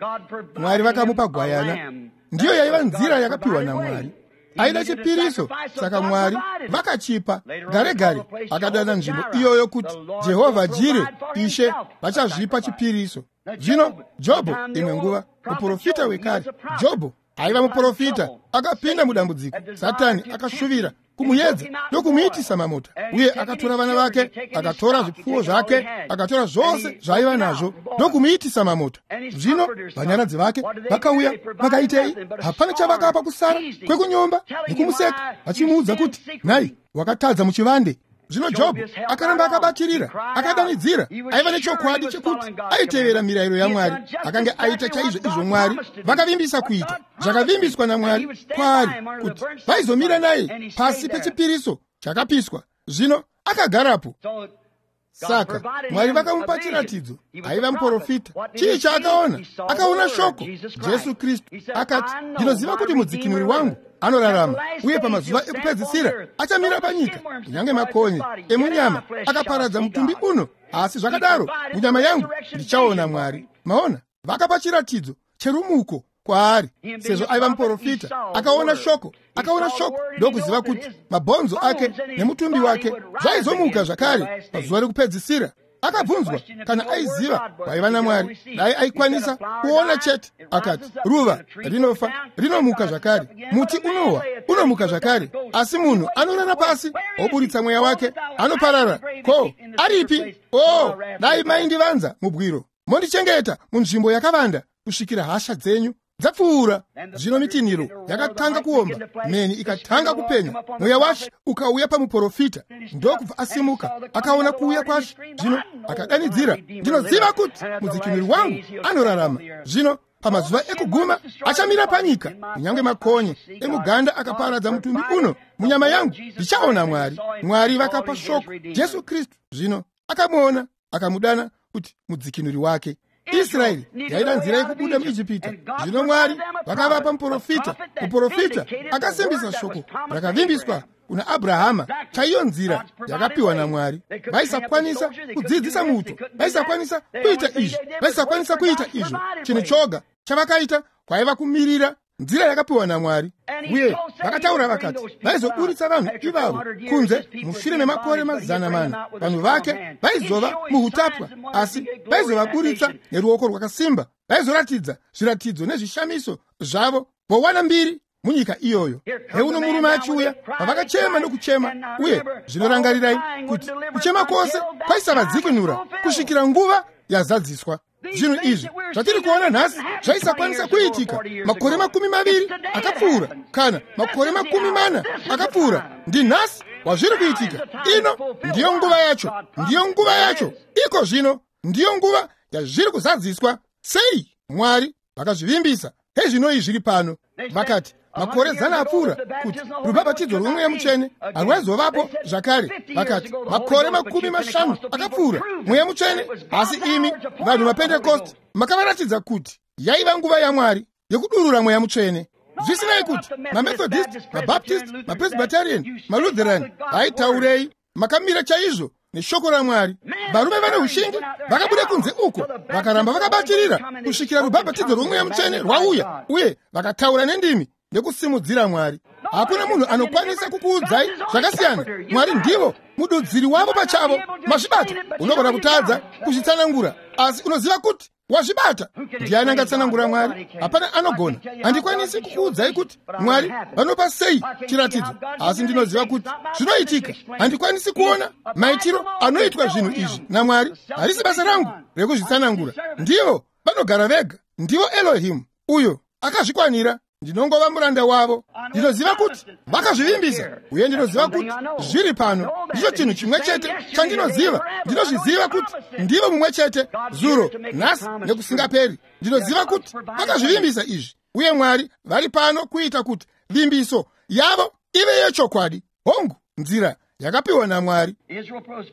Mwari vakamupa gwayana. Ndiyo yaiva nzira yakapiwa naMwari. Aida chipiriso, saka Mwari vakachipa. Gare gare akadana nzvimbo iyoyo kuti Jehovha Jire, Ishe vachazvipa chipiriso. Zvino Jobho, imwe nguva muprofita wekare, Jobho aiva muprofita akapinda mudambudziko. Satani akashuvira kumuyedza nokumuitisa mamota, uye akatora vana vake, akatora zvipfuwo zvake, akatora zvose zvaiva nazvo ndokumuitisa mamota. Zvino vanyaradzi vake vakauya vakaitei? Hapana chavakapa kusara kwekunyomba nekumuseka, vachimuudza kuti nhai, wakatadza muchivande. Zvino Jobho akaramba akabatirira, akadanidzira. Aiva nechokwadi chekuti aitevera mirayiro yaMwari. Akanga aita chaizvo izvo Mwari vakavimbisa kuita, zvakavimbiswa naMwari kwaari kuti vaizomira naye pasi pechipiriso chakapiswa. Zvino akagarapo. Saka Mwari vakamupa chiratidzo. Aiva muprofita. Chii chaakaona? Akaona shoko, Jesu Kristu. Akati, ndinoziva kuti mudzikinuri wangu anorarama, uye pamazuva ekupedzisira achamira panyika. Kunyange makonye emunyama akaparadza mutumbi uno, asi zvakadaro munyama yangu ndichaona Mwari. Maona, vakapa chiratidzo cherumuko kwaari. Sezvo aiva muprofita, akaona shoko, akaona shoko ndokuziva kuti mabhonzo ake nemutumbi wake zvaizomuka zvakare pazuva rekupedzisira. Akabvunzwa kana aiziva kwaiva naMwari, dai aikwanisa kuona chete. Akati, ruva rinofa rinomuka zvakare, muti unowa unomuka zvakare, asi munhu anorara pasi oburitsa mweya wake anoparara. Ko aripi? O, dai maindivanza mubwiro, mondichengeta munzvimbo yakavanda kusvikira hasha dzenyu dzapfuura. Zvino mitinhiro yakatanga kuomba, mheni ikatanga kupenya, mweya waShe ukauya pamuprofita. Ndokubva asimuka, akaona kuuya kwaShe. Zvino akadanidzira, ndinoziva kuti mudzikinuri wangu anorarama. Zvino pamazuva ekuguma achamira panyika. Kunyange makonye emuganda akaparadza mutumbi uno, munyama yangu ndichaona Mwari. Mwari vakapa shoko, Jesu Kristu. Zvino akamuona, akamudana kuti mudzikinuri wake. Israeri yaida nzira yekubuda muIjipita. Zvino Mwari vakavapa muprofita, muprofita akasimbisa shoko rakavimbiswa kuna Abrahama, chaiyo nzira yakapiwa naMwari. Vaisakwanisa kudzidzisa muto, vaisakwanisa kuita izvi, vaisakwanisa kuita izvo. Chinhu choga chavakaita kwaiva kumirira nzira yakapiwa naMwari. Uye vakataura vakati vaizoburitsa vanhu ivavo kunze mushure memakore mazana mana. Vanhu vake vaizova muhutapwa, asi vaizovaburitsa neruoko rwakasimba. Vaizoratidza zviratidzo nezvishamiso zvavo vowana mbiri munyika iyoyo. Heuno murume achiuya, pavakachema nokuchema. Uye zvinorangarirai kuti kuchema kwose kwaisavadzikinura kusvikira nguva yazadziswa. Zvinhu izvi zvatiri kuona nhasi zvaisakwanisa kuitika makore makumi maviri akapfuura kana makore makumi mana akapfuura. Ndinhasi wazviri kuitika. Ino ndiyo nguva yacho, ndiyo nguva yacho iko zvino, ndiyo nguva yazviri kuzadziswa. Sei? Mwari vakazvivimbisa. Hezvinoi zviri pano. Vakati makore zana apfuura kuti rubhabhatidzo rwomweya mutsvene harwaizovapo zvakare. Vakati makore makumi mashanu akapfuura mweya mutsvene, asi imi vanhu vaPentekosti makavaratidza kuti yaiva nguva yaMwari yekudurura mweya mutsvene. Zvisinei kuti maMethodist, maBaptist, maPresbyterian, maLutheran vaitaurei, makamira chaizvo neshoko raMwari. Varume vane ushingi vakabuda kunze uko, vakaramba vakabatirira kusvikira rubhabhatidzo rwomweya mutsvene rwauya, uye vakataura nendimi nekusimudzira Mwari. Hakuna munhu anokwanisa kukuudzai zvakasiyana. Mwari ndivo mududziri wavo pachavo. Mazvibata. Unogona kutadza kuzvitsanangura, asi unoziva kuti wazvibata. Ndiani angatsanangura Mwari? Hapana anogona. Handikwanisi kukuudzai kuti Mwari vanopa sei chiratidzo, asi ndinoziva kuti zvinoitika. Handikwanisi kuona maitiro anoitwa zvinhu izvi naMwari. Harisi basa rangu rekuzvitsanangura. Ndivo vanogara vega. Ndivo Elohim, uyo akazvikwanira. Ndinongova muranda wavo. Ndinoziva kuti vakazvivimbisa, uye ndinoziva kuti zviri pano. Ndicho chinhu chimwe chete chandinoziva. Ndinozviziva kuti ndivo mumwe chete zuro, nhasi nekusingaperi. Ndinoziva kuti vakazvivimbisa izvi, uye Mwari vari pano kuita kuti vimbiso yavo ive yechokwadi. Hongu, nzira yakapiwa naMwari.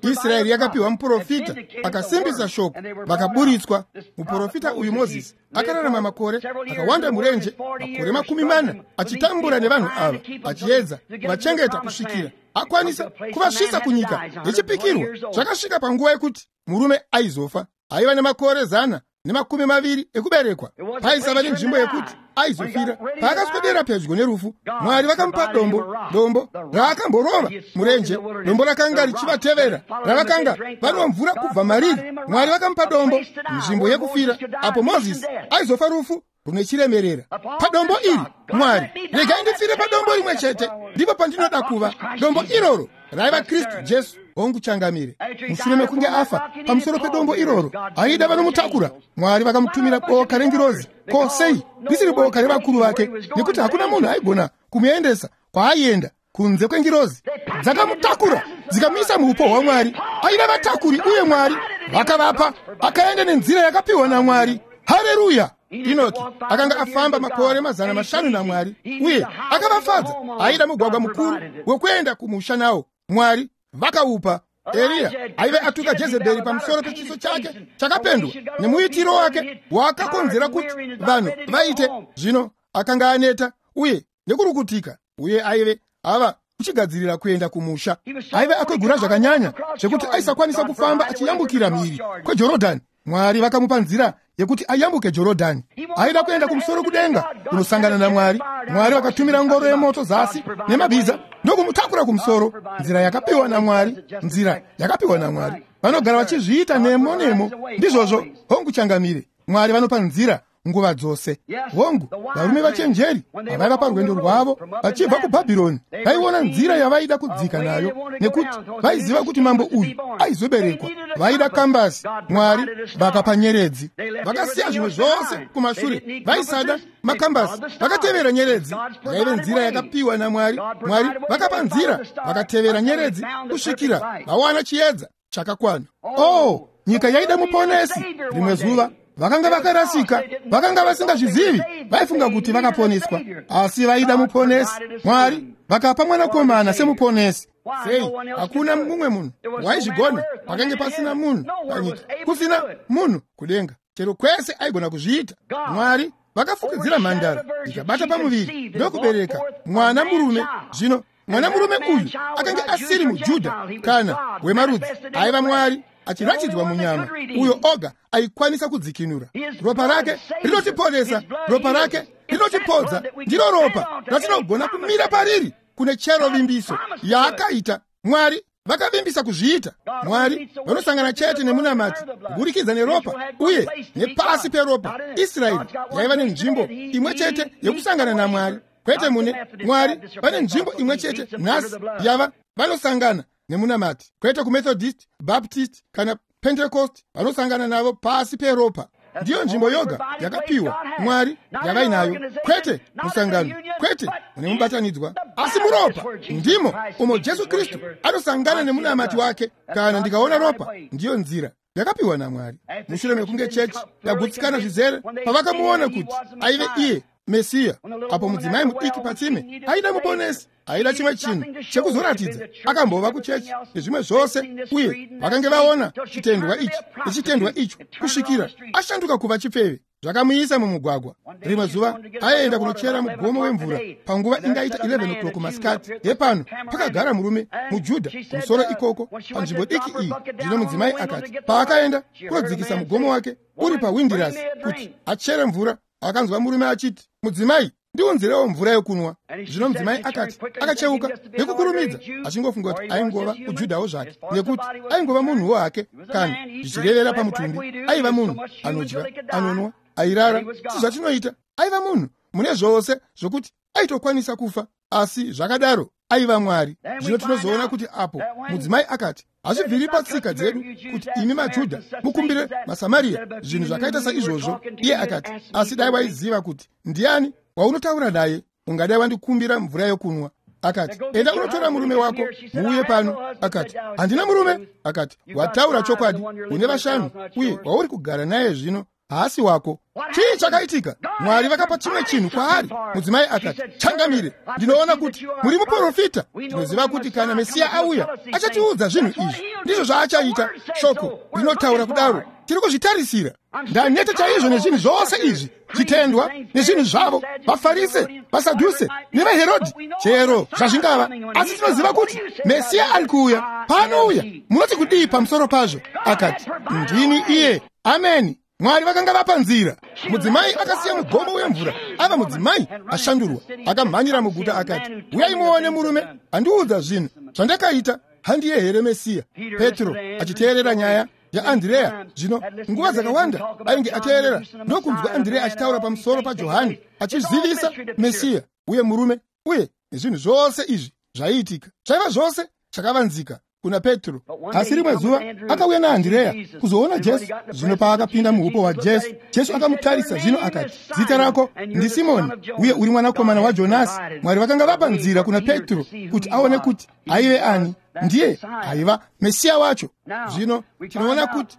Israeri yakapiwa muprofita akasimbisa shoko, vakaburitswa. Muprofita uyu Mozisi akararama makore akawanda murenje, makore makumi mana, achitambura nevanhu ava, achiedza kuvachengeta kusvikira akwanisa kuvasvitsa kunyika yechipikirwa. Zvakasvika panguva yekuti murume aizofa. Aiva nemakore zana nemakumi maviri ekuberekwa. Paisava nenzvimbo yekuti aizofira. Paakaswedera pedyo nerufu, Mwari vakamupa dombo, dombo raakamborova murenje, dombo rakanga richivatevera, ravakanga vanwa mvura kubva mariri. Mwari vakamupa dombo, nzvimbo yekufira, apo Mozisi aizofa rufu rune chiremerera. Padombo iri, Mwari, regai ndifire padombo rimwe chete, ndipo pandinoda kuva. Dombo iroro raiva Kristu Jesu. Hongu changamire. Mushure mekunge afa pamusoro pedombo iroro, aida vanomutakura. Mwari vakamutumira boka rengirozi. Ko sei risiri boka revakuru vake? Nekuti hakuna munhu aigona kumuendesa kwaaienda kunze kwengirozi. Dzakamutakura dzikamuisa muupo hwaMwari. Aida vatakuri, uye Mwari vakavapa. Akaenda nenzira yakapiwa naMwari. Hareruya! Enoki akanga afamba makore mazana mashanu naMwari, uye akavafadza. Aida mugwagwa mukuru wekuenda kumusha nawo. Mwari vakaupa. Eriya aive atuka Jezebheri pamusoro pechiso chake chakapendwa nemuitiro wake waakakonzera kuti vanhu vaite. Zvino akanga aneta uye nekurukutika, uye aive ava kuchigadzirira kuenda kumusha. Aive akwegura zvakanyanya zvekuti aisakwanisa kufamba achiyambukira mhiri kweJorodhani. Mwari vakamupa nzira yekuti ayambuke Jorodhani. Aida kuenda kumusoro kudenga kunosangana naMwari. Mwari vakatumira ngoro yemoto zasi nemabhiza ndokumutakura kumusoro. Nzira yakapiwa naMwari, nzira yakapiwa naMwari. Vanogara vachizviita nemo nemo. Ndizvozvo. Hongu changamire. Mwari vanopa nzira nguva dzose. Hongu, varume vachenjeri pavaiva parwendo rwavo vachibva kuBhabhironi, vaiona nzira yavaida kudzika nayo, nekuti vaiziva kuti mambo uyu aizoberekwa. Vaida kambasi. Mwari vakapa nyeredzi. Vakasiya zvimwe zvose kumashure. Vaisada makambasi, vakatevera nyeredzi. Yaive nzira yakapiwa naMwari. Mwari vakapa nzira, vakatevera nyeredzi kusvikira vawana chiedza chakakwana. Oh, nyika yaida muponesi. Rimwe zuva vakanga vakarasika, vakanga vasingazvizivi, vaifunga kuti vakaponeswa, asi vaida muponesi. Mwari vakapa mwanakomana semuponesi. Sei? Hakuna mumwe munhu waizvigona. Pakange pasina munhu panyika, kusina munhu kudenga, chero kwese aigona kuzviita. Mwari vakafukidzira mhandara ikabata pamuviri ndokubereka mwana murume. Zvino mwana murume uyu akanga asiri muJudha kana wemarudzi, aiva Mwari achiratidzwa munyama, uyo oga aikwanisa kudzikinura. Ropa rake rinotiponesa, ropa rake rinotipodza. Ndiro ropa ratinogona kumira pariri kune chero vimbiso yaakaita. Mwari vakavimbisa kuzviita. Mwari vanosangana chete nemunamati kuburikidza neropa uye nepasi peropa. Israeri yaiva nenzvimbo imwe chete yekusangana naMwari, kwete mune Mwari. Vane nzvimbo imwe chete nhasi yava vanosangana nemunamati, kwete kuMethodist, Baptist kana Pentecost. Vanosangana navo pasi peropa. Ndiyo nzvimbo yoga yakapiwa Mwari yavainayo, kwete musangano, kwete mune mubatanidzwa, asi muropa ndimo umo Jesu Kristu anosangana nemunamati wake. Kana ndikaona ropa, ndiyo nzira yakapiwa naMwari. Mushure mekunge chechi yagutsikana zvizere, pavakamuona kuti aive iye Mesiya, apo mudzimai mudiki patsime aida muponesi, aida chimwe chinhu chekuzoratidza. Akambova kuchechi nezvimwe zvose, uye vakange vaona chitendwa ichi nechitendwa icho kusvikira ashanduka kuva chipfeve. Zvakamuisa mumugwagwa. Rimwe zuva aienda kunochera mugomo wemvura panguva ingaita eleven o'clock masikati. Hepano pakagara murume muJudha kumusoro ikoko panzvimbo diki iyi. Zvino mudzimai akati paakaenda kunodzikisa mugomo wake uri pawindirasi kuti achere mvura, akanzwa murume achiti, "Mudzimai, Ndiunzirewo mvura yokunwa. Zvino mudzimai akati, akacheuka nekukurumidza, achingofunga kuti aingova kuJudhawo zvake, nekuti aingova munhuwo hake, kana zvichirevera pamutumbi. Aiva munhu anodya, anonwa, airara, sezvatinoita. Aiva munhu mune zvose zvokuti aitokwanisa kufa, asi zvakadaro aiva Mwari. Zvino tinozoona kuti apo mudzimai akati, hazvibviri patsika dzedu kuti imi maJudha mukumbire maSamaria zvinhu zvakaita saizvozvo. Iye akati, asi dai waiziva kuti ndiani waunotaura naye, ungadai wandikumbira mvura yokunwa. Akati, enda unotora murume wako muuye pano. Akati, handina murume. Akati, wataura chokwadi, une vashanu, uye wauri kugara naye zvino haasi wako. Chii chakaitika? Mwari vakapa chimwe chinhu kwaari. Mudzimai akati, changamire, ndinoona kuti muri muprofita. Ndinoziva kuti kana Mesiya auya, achatiudza zvinhu izvi. Ndizvo zvaachaita. Shoko rinotaura kudaro. Tiri kuzvitarisira. Ndaneta chaizvo nezvinhu zvose izvi, zvitendwa nezvinhu zvavo, vaFarise, vaSadhuse nevaHerodhi, chero zvazvingava. Asi tinoziva kuti Mesiya ari kuuya. Paanouya, munoti kudii pamusoro pazvo? Akati, ndini iye. Ameni. Mwari vakanga vapa nzira. Mudzimai akasiya mugomo wemvura, ava mudzimai ashandurwa. Akamhanyira muguta akati, uyai muone murume andiudza zvinhu zvandakaita. Handiye here Mesiya? Petro achiteerera nyaya yaAndrea. Zvino nguva dzakawanda ainge ateerera ndokunzwa Andrea achitaura pamusoro paJohani, achizivisa Mesiya uye murume, uye nezvinhu zvose izvi zvaiitika. Zvaiva zvose chakavanzika kuna Petro. Asi rimwe zuva akauya naAndrea kuzoona Jesu. Zvino paakapinda muhupo hwaJesu, Jesu akamutarisa zvino akati, zita rako ndiSimoni, uye uri mwanakomana waJonasi. Mwari vakanga vapa nzira kuna Petro kuti aone kuti aive ani. Ndiye aiva Mesiya wacho. Zvino tinoona kuti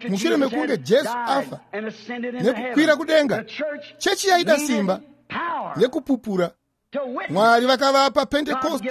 mushure mekunge Jesu afa nekukwira kudenga, chechi yaida simba nekupupura. Mwari vakavapa Pentekosti.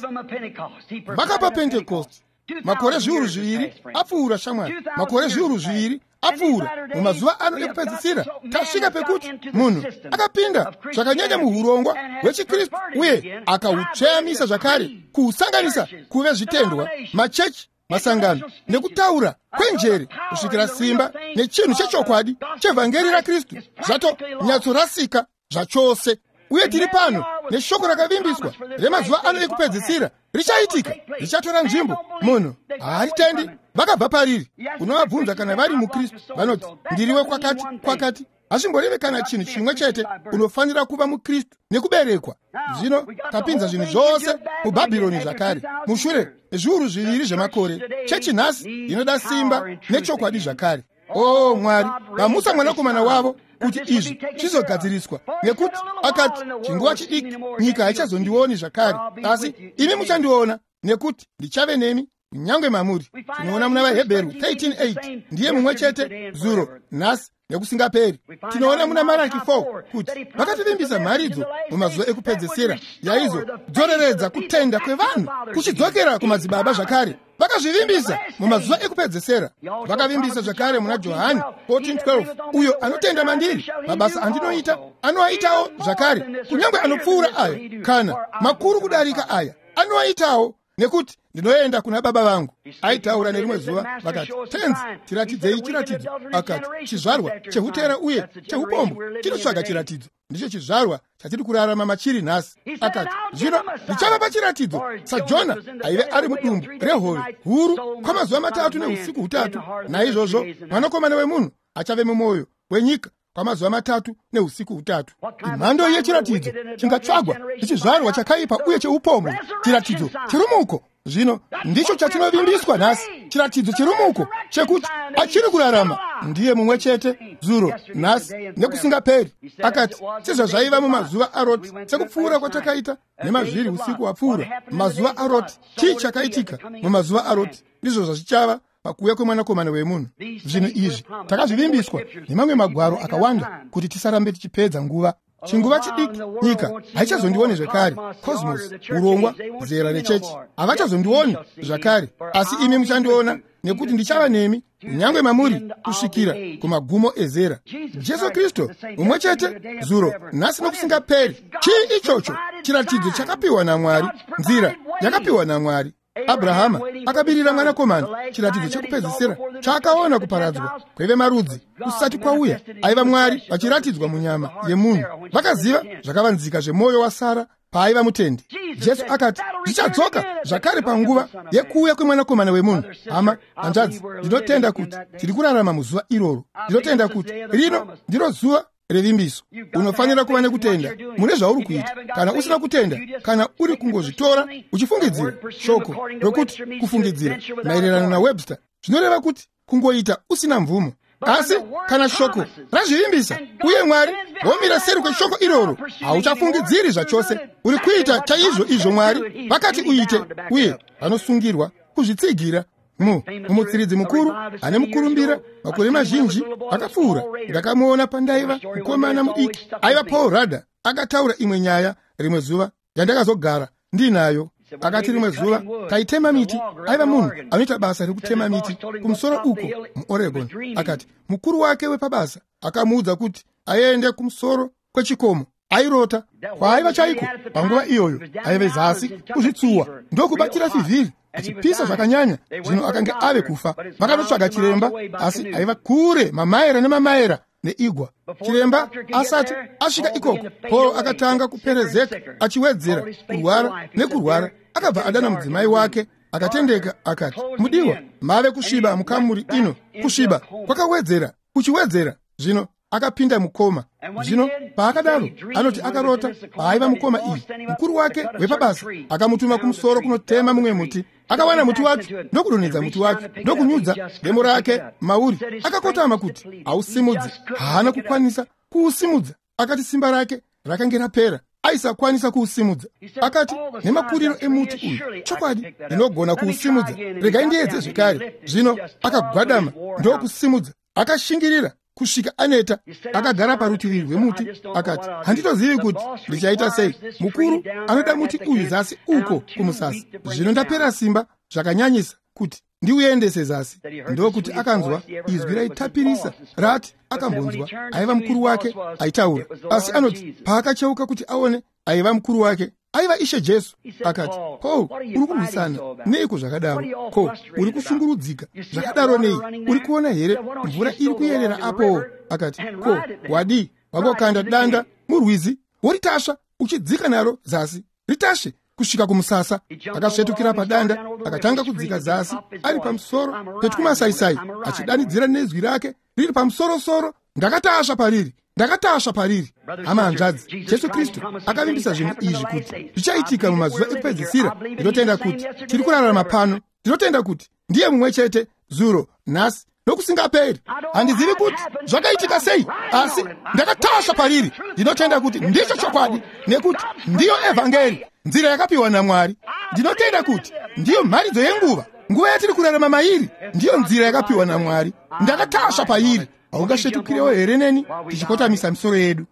Vakapa Pentekosti makore zviuru zviviri apfuura, shamwari. Makore zviuru zviviri apfuura. Mumazuva ano ekupedzisira tasvika pekuti munhu akapinda zvakanyanya muhurongwa hwechiKristu uye akautsveyamisa zvakare, kuusanganisa kuve zvitendwa, machechi, masangano nekutaura kwenjere, kusvikira simba nechinhu chechokwadi chevhangeri raKristu zvatonyatsorasika zvachose. Uye tiri pano neshoko rakavimbiswa remazuva ano ekupedzisira richaitika, richatora nzvimbo. Munhu haaritendi, vakabva pariri. Unovabvunza kana vari muKristu, vanoti ndiriwe kwakati kwakati. Hazvimboreve kana chinhu chimwe chete. Unofanira kuva muKristu nekuberekwa. Zvino tapinza zvinhu zvose muBhabhironi zvakare mushure mezviuru zviviri zvemakore. Chechi nhasi inoda simba nechokwadi zvakare. O Mwari, vamusa mwanakomana wavo kuti izvi zvizogadziriswa, nekuti akati, chinguva chidiki nyika haichazondioni zvakare, asi imi muchandiona, nekuti ndichave nemi kunyange mamuri. Tinoona muna vaHebheru thirteen eight, ndiye mumwe chete zuro, nhasi nekusingaperi. Tinoona muna Maraki four kuti vakativimbisa mharidzo mumazuva ekupedzisira yaizodzoreredza kutenda kwevanhu kuchidzokera kumadzibaba zvakare. Vakazvivimbisa mumazuva ekupedzisira. Vakavimbisa zvakare muna Johani fourteen twelve, uyo anotenda mandiri, mabasa andinoita anoaitawo zvakare, kunyange anopfuura aya, kana makuru kudarika aya anoaitawo, nekuti ndinoenda kuna baba vangu. Aitaura nerimwe zuva, vakati, Tenzi, tiratidzei chiratidzo. Akati, chizvarwa chehutera uye chehupombo chinotsvaga chiratidzo. Ndicho chizvarwa chatiri kurarama machiri nhasi. Akati, zvino ndichavapa chiratidzo saJona aive ari mudumbu rehove huru kwamazuva matatu neusiku hutatu. Naizvozvo mwanakomana wemunhu achave mumwoyo wenyika kwamazuva matatu neusiku hutatu. Imhando yechiratidzo chingatsvagwa nechizvarwa chakaipa uye cheupombo, chiratidzo cherumuko. Zvino ndicho chatinovimbiswa nhasi, chiratidzo cherumuko chekuti achiri kurarama. Ndiye mumwe chete zuro, nhasi nekusingaperi. Akati, sezvazvaiva mumazuva aRoti, sekupfuura kwatakaita nemazviri usiku hwapfuura, mazuva aRoti. Chii chakaitika mumazuva aRoti? Ndizvo zvazvichava pakuuya kwemwanakomana wemunhu. Zvinhu izvi takazvivimbiswa nemamwe magwaro akawanda kuti tisarambe tichipedza nguva. Chinguva chidiki nyika haichazondioni zvakare. Cosmos, urongwa, zera rechechi, havachazondioni zvakare, asi imi muchandiona, nekuti ndichava nemi kunyange mamuri kusvikira kumagumo ezera. Jesu Kristu mumwe chete zuro, nhasi nokusingaperi. Chii ichocho? Chiratidzo chakapiwa naMwari, nzira yakapiwa naMwari. Abrahama akabirira mwanakomana, chiratidzo chekupedzisira chaakaona kuparadzwa kwevemarudzi kusati kwauya. Aiva Mwari vachiratidzwa munyama yemunhu. Vakaziva zvakavanzika zvemwoyo waSara paaiva mutendi. Jesu akati zvichadzoka zvakare panguva yekuuya kwemwanakomana wemunhu. Hama, hanzvadzi, ndinotenda kuti tiri kurarama muzuva iroro. Ndinotenda kuti rino ndiro zuva revimbiso. Unofanira kuva nekutenda mune zvauri kuita. Kana usina kutenda, kana uri kungozvitora uchifungidzira, shoko rokuti kufungidzira maererano naWebster zvinoreva kuti kungoita usina mvumo. Asi kana shoko razvivimbisa uye Mwari vomira seri kweshoko iroro, hauchafungidziri zvachose. Uri kuita chaizvo izvo Mwari vakati uite, uye vanosungirwa kuzvitsigira. Mu mumutsiridzi mukuru ane mukurumbira makore mazhinji akapfuura, ndakamuona pandaiva mukomana mudiki. Aiva Paul Rader. Akataura imwe nyaya rimwe zuva yandakazogara ndinayo. Akati rimwe zuva taitema miti. Aiva munhu anoita basa rekutema miti kumusoro uko muOregon. Akati mukuru wake wepabasa akamuudza kuti aende kumusoro kwechikomo. Airota kwaaiva chaiko panguva iyoyo. Aive zasi kuzvitsuwa ndokubatira fivhiri achipisa zvakanyanya. Zvino akanga ave kufa. Vakanotsvaga chiremba, asi aiva kure mamaera nemamaera neigwa. Chiremba asati asvika ikoko, Paul akatanga kuperezeka achiwedzera kurwara nekurwara. Akabva adana mudzimai wake akatendeka akati, mudiwa, mave kusviba mukamuri ino. Kusviba kwakawedzera kuchiwedzera. Zvino akapinda mukoma. Zvino paakadaro, anoti akarota paaiva mukoma iyi, mukuru wake wepabasa akamutuma kumusoro kunotema mumwe muti. Akawana muti wacho ndokudonhedza muti wacho ndokunyudza demo rake mauri. Akakotama kuti ausimudze, haana kukwanisa kuusimudza. Akati simba rake rakange rapera, aisakwanisa kuusimudza. Akati nemakuriro emuti uyu, chokwadi ndinogona kuusimudza, regai ndiedze zvekare. Zvino akagwadama ndokusimudza, akashingirira kusvika aneta. Akagara parutivi rwemuti akati, handitozivi kuti ndichaita sei. Mukuru anoda muti uyu zasi uko kumusasa. Zvino ndapera simba zvakanyanyisa kuti ndiuendese zasi. Ndokuti akanzwa izwi raitapirisa rati akambonzwa. Aiva mukuru wake aitaura. Asi anoti paakacheuka kuti aone, aiva mukuru wake aiva Ishe Jesu. Akati, Paul, uri kurwisana neiko zvakadaro? Ko uri kushungurudzika zvakadaro nei? Uri kuona here mvura iri kuyerera apo? Akati, ko wadii wangokanda danda murwizi woritasva uchidzika naro zasi, ritasve kusvika kumusasa. Akasvetukira padanda akatanga kudzika zasi ari pamusoro petwumasaisai, achidanidzira nezwi rake riri pamusorosoro, ndakatasva pariri, ndakatasva pariri. Hama, hanzvadzi, Jesu Kristu akavimbisa zvinhu izvi kuti zvichaitika mumazuva ekupedzisira. Ndinotenda kuti tiri kurarama pano. Ndinotenda kuti ndiye mumwe chete zuro, nhasi nokusingaperi. Handizivi kuti zvakaitika sei, asi ndakatasva pariri. Ndinotenda kuti ndicho chokwadi, nekuti ndiyo evhangeri, nzira yakapiwa naMwari. Ndinotenda kuti ndiyo mharidzo yenguva, nguva yatiri kurarama mairi, ndiyo nzira yakapiwa naMwari. Ndakatasva pairi. Haungasvetukirewo here neni tichikotamisa misoro yedu?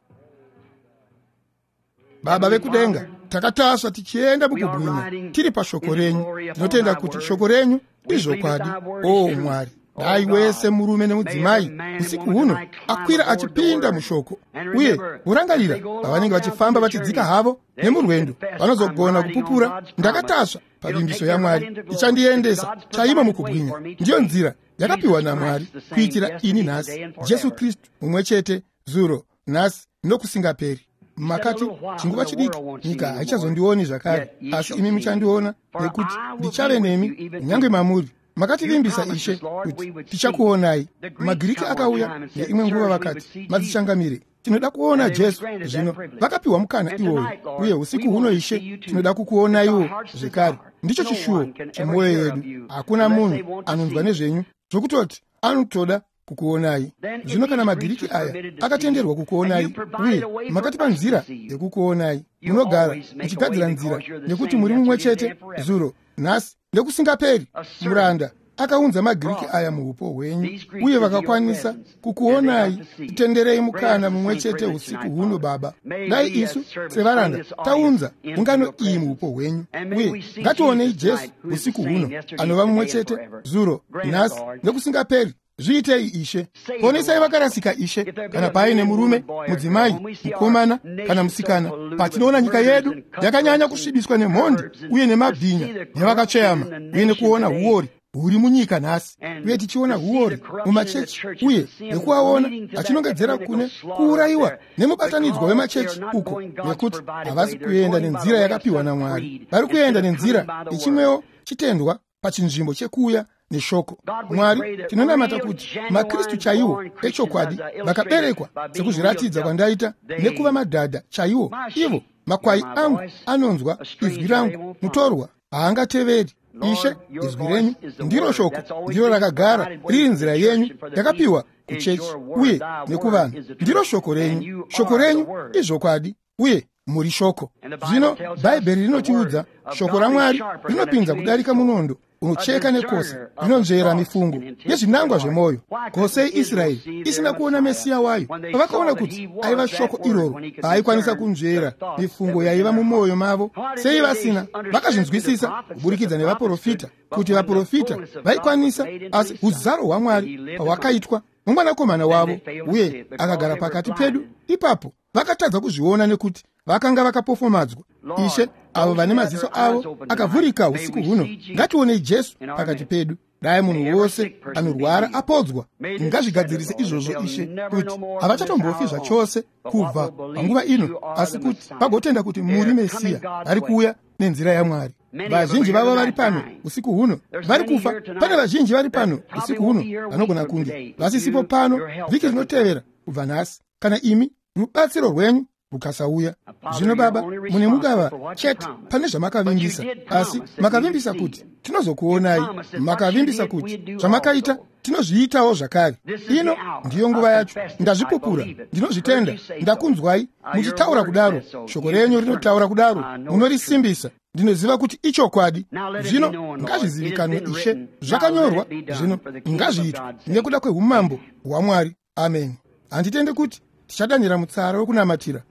Baba vekudenga, takatasva tichienda mukubwinya tiri pashoko renyu. Tinotenda kuti shoko renyu izvokwadi. O Mwari, dai wese murume nemudzimai usiku huno akwira achipinda mushoko, uye vorangarira pavanenge vachifamba vachidzika havo nemurwendo, vanozogona kupupura, ndakatasva pavimbiso yaMwari, ichandiendesa chaimo mukubwinya. Ndiyo nzira yakapiwa naMwari kuitira ini nhasi. Jesu Kristu mumwe chete zuro, nhasi nokusingaperi. Makati chinguva chidiki nyika haichazondioni zvakare, asi imi muchandiona, nekuti ndichave nemi kunyange mamuri. Makativimbisa Ishe kuti tichakuonai. Magiriki akauya neimwe nguva vakati, madzichangamire, tinoda kuona Jesu. Zvino vakapiwa mukana iwoyo, uye usiku huno Ishe tinoda kukuonaiwo zvekare. Ndicho chishuwo chemwoyo yedu. Hakuna munhu anonzwa nezvenyu zvokutoti anotoda kukuonai. Zvino kana magiriki aya akatenderwa kukuonai, uye makatipa nzira yekukuonai, munogara muchigadzira nzira, nekuti muri mumwe chete zuro, nhasi nekusingaperi. Muranda akaunza magiriki aya muupo hwenyu, uye vakakwanisa kukuonai. Titenderei mukana mumwe chete usiku huno, Baba. Dai isu sevaranda taunza ungano iyi muupo hwenyu, uye ngationei Jesu usiku huno, anova mumwe chete zuro, nhasi nekusingaperi. Zviitei Ishe. Ponesai vakarasika Ishe. Kana paine murume, mudzimai, mukomana kana musikana, patinoona nyika yedu yakanyanya kusvibiswa nemhondi uye nemabhinya nevakatsveyama, uye nekuona huori huri munyika nhasi, uye tichiona huori mumachechi, uye nekuaona achinongedzera kune kuurayiwa nemubatanidzwa wemachechi uko, nekuti havasi kuenda nenzira yakapiwa naMwari, vari kuenda nenzira ichimwewo chitendwa pachinzvimbo chekuuya neshoko. Mwari, tinonamata kuti maKristu chaiwo echokwadi vakaberekwa sekuzviratidza kwandaita nekuva madhadha chaiwo, ivo makwai angu anonzwa izwi rangu, mutorwa haangateveri. Ishe, izwi renyu ndiro shoko, ndiro rakagara riri nzira yenyu yakapiwa kuchechi uye nekuvanhu. Ndiro shoko renyu, shoko renyu izvokwadi uye muri shoko. Zvino Bhaibheri rinotiudza shoko raMwari rinopinza kudarika munondo unocheka nekosa, rinonzvera mifungo nezvinangwa zvemwoyo. Kosei Israeri isina kuona Mesiya wayo, pavakaona kuti aiva shoko iroro, paaikwanisa kunzvera mifungo yaiva mumwoyo mavo, sei vasina vakazvinzwisisa kuburikidza nevaprofita, kuti vaprofita vaikwanisa, asi uzaro hwaMwari pahwakaitwa nomwanakomana wavo uye akagara pakati pedu, ipapo vakatadza kuzviona nekuti vakanga vakapofomadzwa. Ishe, avo vane maziso avo akavhurika usiku huno, ngationei Jesu pakati pedu. Dai munhu wose anorwara apodzwa. Ngazvigadzirise izvozvo Ishe, kuti havachatombofi zvachose kubva panguva ino, asi kuti vagotenda kuti muri Mesiya vari kuuya nenzira yaMwari. Vazhinji vavo vari pano usiku huno vari kufa. Pane vazhinji vari pano usiku huno vanogona kunge vasisipo pano vhiki rinotevera kubva nhasi, kana imi rubatsiro rwenyu rukasauya. Zvino Baba, mune mugava chete pane zvamakavimbisa, asi makavimbisa kuti tinozokuonai. Makavimbisa kuti zvamakaita tinozviitawo zvakare. Ino ndiyo nguva yacho. Ndazvipupura, ndinozvitenda, ndakunzwai muchitaura kudaro. Shoko renyu rinotaura kudaro, munorisimbisa. Ndinoziva kuti ichokwadi. Zvino ngazvizivikanwe Ishe, zvakanyorwa, zvino ngazviitwe nekuda kweumambo hwaMwari. Amen. Handitende kuti tichadanira mutsara wekunamatira.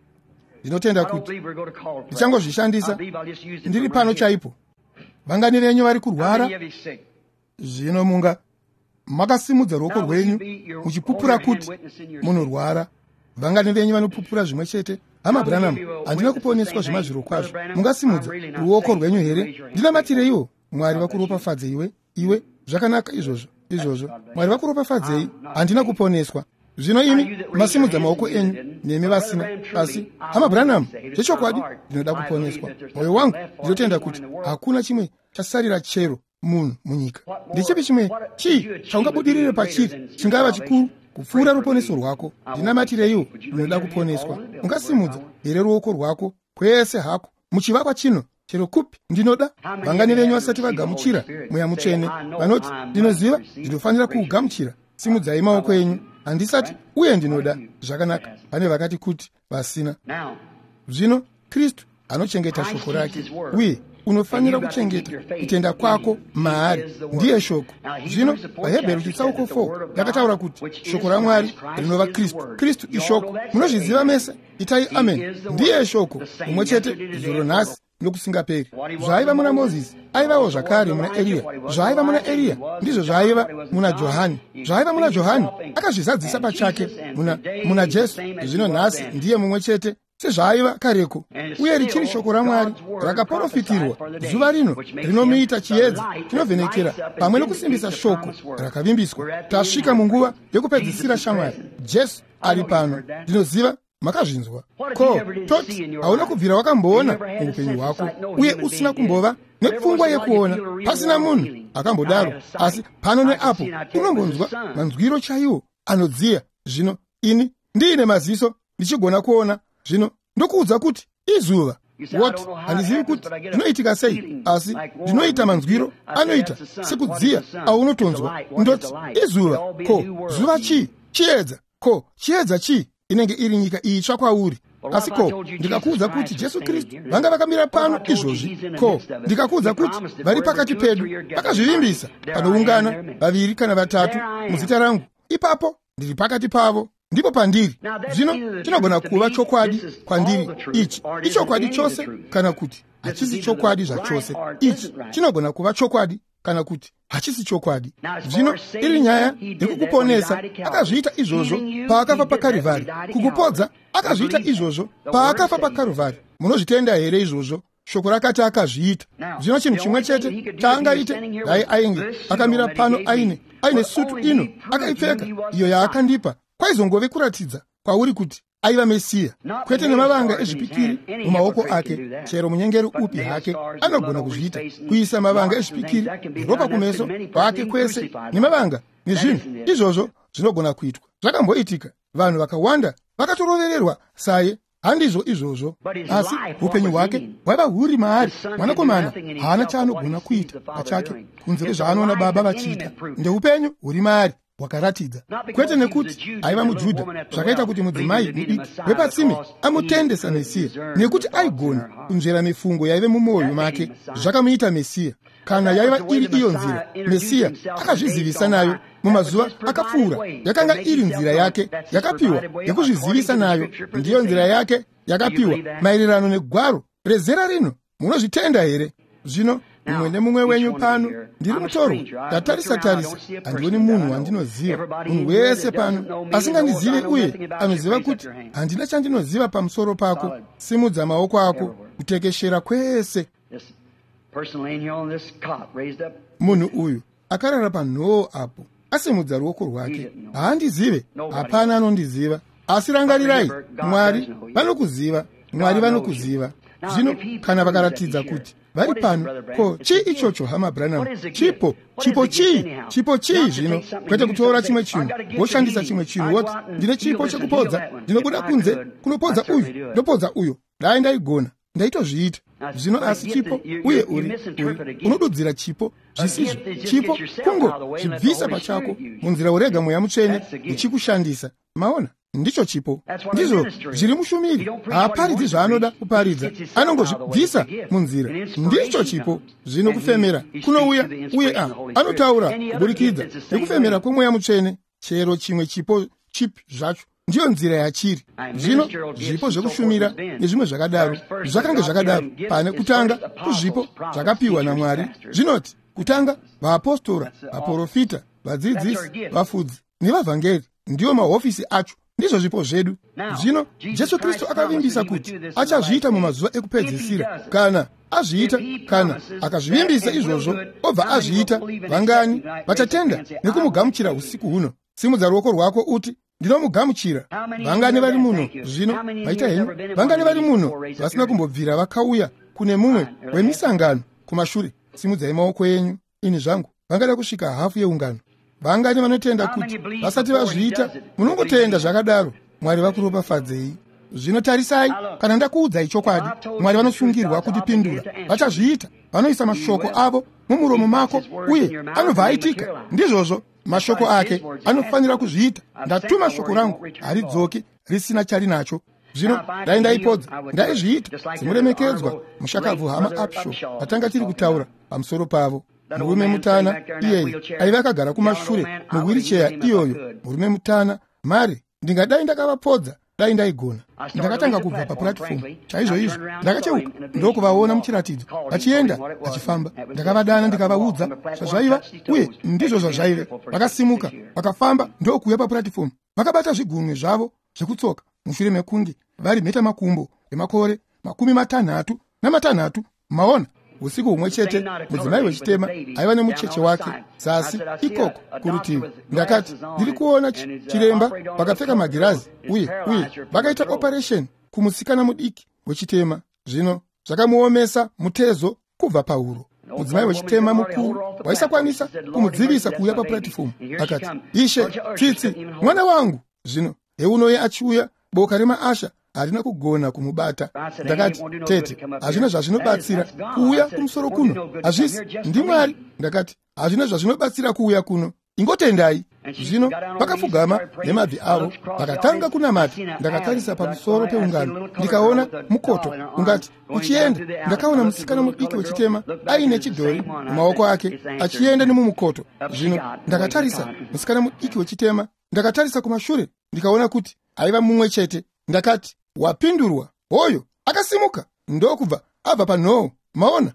Ndinotenda kuti ndichangozvishandisa ndiri pano chaipo. Vangani venyu vari kurwara? Zvino munga makasimudza ruoko rwenyu muchipupura kuti munorwara. Vangani venyu vanopupura zvimwe chete? Hama Branham, handina kuponeswa zvemazvirokwazvo. Mungasimudza ruoko rwenyu here? Ndinamatireiwo. Mwari vakuropafadze iwe. Iwe, zvakanaka izvozvo, izvozvo. Mwari vakuropafadzei. Handina kuponeswa. Zvino imi masimudza maoko enyu nemi vasina, asi Hama Branham, zvechokwadi ndinoda kuponeswa. Mwoyo wangu ndinotenda kuti hakuna chimwe chasarira chero munhu munyika. Ndechipi chimwe chii chaungabudirire pachiri chingava chikuru kupfuura ruponeso rwako? Ndinamatireiwo, ndinoda kuponeswa. Ungasimudza here ruoko rwako kwese hako muchivakwa chino chero kupi? Ndinoda. Vangani venyu vasati vagamuchira Mweya Mutsvene vanoti, ndinoziva ndinofanira kuugamuchira? Simudzai maoko enyu. Handisati, uye ndinoda. Zvakanaka. Pane vakati kuti vasina. Zvino Kristu anochengeta shoko rake, uye unofanira kuchengeta kutenda kwako maari. Ndiye shoko. Zvino vaHebheru chitsauko four yakataura kuti shoko raMwari rinova Kristu. Kristu ishoko. Munozviziva mese. Itai amen. Ndiye shoko mumwe chete zuro nhasi nokusingaperi. Zvaiva muna Mozisi aivawo zvakare muna Eriya. Zvaiva muna Eriya ndizvo zvaiva muna Johani. Zvaiva muna Johani akazvizadzisa pachake muna, muna Jesu. Zvino nhasi ndiye mumwe chete sezvaiva kareko, uye richiri shoko raMwari rakaprofitirwa zuva rino rinomuita chiedza chinovhenekera pamwe nokusimbisa shoko rakavimbiswa. Tasvika munguva yekupedzisira, shamwari. Jesu ari pano. Ndinoziva makazvinzwa. Ko toti hauna kubvira wakamboona muupenyu hwako, uye usina kumbova nepfungwa yekuona, pasina munhu akambodaro, asi pano neapo unombonzwa manzwiro chaiwo anodziya. Zvino ini ndiine maziso ndichigona kuona, zvino ndokuudza kuti izuva. Woti handizivi kuti zvinoitika sei, asi ndinoita manzwiro anoita sekudziya aunotonzwa. Ndoti izuva. Ko zuva chii? Chiedza. Ko chiedza chii? Inenge iri nyika itsva kwauri. Asi ko ndikakuudza kuti Jesu Kristu vanga vakamira pano izvozvi? Ko ndikakuudza kuti vari pakati pedu, vakazvivimbisa panoungana vaviri kana vatatu muzita rangu, ipapo ndiri pakati pavo, ndipo pandiri. Zvino chinogona kuva chokwadi kwandiri ichi ichokwadi chose, kana kuti hachisi chokwadi zvachose. Ichi chinogona kuva chokwadi kana kuti hachisi chokwadi. Zvino iri nyaya yekukuponesa, akazviita izvozvo paakafa paKarivhari. Kukupodza, akazviita izvozvo paakafa paKarivhari. Munozvitenda here izvozvo? Shoko rakati akazviita. Zvino chinhu chimwe chete chaangaite, dai ainge akamira pano aine aine sutu ino akaipfeka iyo yaakandipa, kwaizongove kuratidza kwauri kuti aiva Mesiya, kwete nemavanga ezvipikiri mumaoko ake. Chero munyengeri upi hake anogona kuzviita, kuisa mavanga ezvipikiri neropa kumeso kwake kwese nemavanga nezvinhu izvozvo zvinogona kuitwa. Zvakamboitika, vanhu vakawanda vakatorovererwa saye. Handizvo izvozvo, asi upenyu hwake hwaiva huri maari. Mwanakomana haana chaanogona kuita pachake kunze kwezvaanoona Baba vachiita. Ndeupenyu huri maari hwakaratidza, kwete nekuti aiva muJudha, zvakaita kuti mudzimai mudiki wepatsime amutende saMesiya, nekuti aigona kunzvera mifungo yaive mumwoyo make. Zvakamuita Mesiya. Kana yaiva iri iyo nzira Mesiya akazvizivisa nayo mumazuva akapfuura, yakanga iri nzira yake yakapiwa yekuzvizivisa nayo. Ndiyo nzira yake yakapiwa maererano negwaro rezera rino. Munozvitenda here? Zvino mumwe nemumwe wenyu pano, ndiri mutorwa, ndatarisa tarisa, handioni munhu wandinoziva. Munhu wese pano asingandizive uye anoziva kuti handina chandinoziva pamusoro pako, simudza maoko ako kutekeshera kwese. Munhu uyu akarara panhoo apo asimudza ruoko rwake, haandizive, hapana anondiziva. Asi rangarirai, Mwari vanokuziva. Mwari vanokuziva. Zvino kana vakaratidza kuti vari pano, ko chii ichocho, hama Branham? Chipo, chipo chii? Chipo chii zvino? Kwete kutora chimwe chinhu woshandisa chimwe chinhu woti ndine chipo chekupodza, ndinobuda kunze kunopodza uyu, ndopodza uyo. Dai ndaigona, ndaitozviita. Zvino asi chipo, uye uri, uri unodudzira chipo zvisizvo. Chipo kungo zvibvisa pachako munzira urega Mweya Mutsvene uchikushandisa. Maona? Ndicho chipo. Ndizvo zviri mushumiri. Haaparidzi zvaanoda kuparidza, anongozvibvisa munzira. Ndicho chipo. Zvino kufemera kunouya, uye a anotaura kuburikidza nekufemera kweMweya Mutsvene. Chero chimwe chipo chipi zvacho, ndiyo nzira yachiri. Zvino zvipo zvekushumira nezvimwe zvakadaro zvakange zvakadaro pane kutanga kuzvipo zvakapiwa naMwari. Zvinoti kutanga vaapostora, vaprofita, vadzidzisi, vafudzi nevavhangeri, ndiwo mahofisi acho. Ndizvo zvipo zvedu. Zvino Jesu Kristu akavimbisa kuti achazviita mumazuva ekupedzisira. Kana azviita, kana akazvivimbisa izvozvo obva azviita, vangani vachatenda nekumugamuchira usiku huno? Simudza ruoko rwako uti, ndinomugamuchira. Vangani vari muno zvino? Maita henyu. Vangani vari muno vasina kumbobvira vakauya kune mumwe wemisangano kumashure? Simudzai maoko enyu. Ini zvangu, vangada kusvika hafu yeungano. Vangani vanotenda kuti vasati vazviita? Munongotenda zvakadaro. Mwari vakuropafadzei. Zvino tarisai, kana ndakuudzai chokwadi, Mwari vanosungirwa kutipindura. Vachazviita. Vanoisa mashoko avo mumuromo mako uye anobva aitika. Ndizvozvo, mashoko ake anofanira kuzviita. Ndatuma shoko rangu, haridzoki risina charinacho. Zvino dai ndaipodza, ndaizviita semuremekedzwa mushakabvu hama Upshaw vatanga tiri kutaura pamusoro pavo. Murume mutana iyeye aiva akagara kumashure muwiricheya iyoyo. Murume mutana, mari ndingadai ndakavapodza dai ndaigona. Ndakatanga kubva papuratifomu chaizvo izvo, ndakacheuka ndokuvaona muchiratidzo vachienda vachifamba. Ndakavadana ndikavaudza zvazvaiva, uye ndizvo zvazvaive. Vakasimuka vakafamba ndokuuya papuratifomu, vakabata zvigunwe zvavo zvekutsoka mushure mekunge vari mheta makumbo emakore makumi matanhatu namatanhatu. Maona? Usiku humwe chete mudzimai wechitema aiva nemucheche wake zasi ikoko kurutivi. Ndakati, ndiri kuona chiremba vakapfeka magirazi uye uye vakaita operation kumusikana mudiki wechitema. Zvino zvakamuomesa mutezo kubva pauro. Mudzimai wechitema mukuru waisakwanisa kumudzivisa kuuya papuratifomu. Akati, Ishe, tsitsi mwana wangu. Zvino heunoye achiuya, boka remaasha harina kugona kumubata. Ndakati, tete, hazvina zvazvinobatsira kuuya kumusoro kuno. Hazvisi, ndiMwari. Ndakati, hazvina zvazvinobatsira kuuya kuno, ingotendai. Zvino vakapfugama nemabvi avo vakatanga kunamata. Ndakatarisa pamusoro peungano ndikaona mukoto ungati uchienda. Ndakaona musikana mudiki wechitema aine chidhori mumaoko ake achienda nemumukoto. Zvino ndakatarisa musikana mudiki wechitema, ndakatarisa kumashure ndikaona kuti aiva mumwe chete. Ndakati, wapindurwa. Hoyo akasimuka ndokubva abva panhoo. Maona?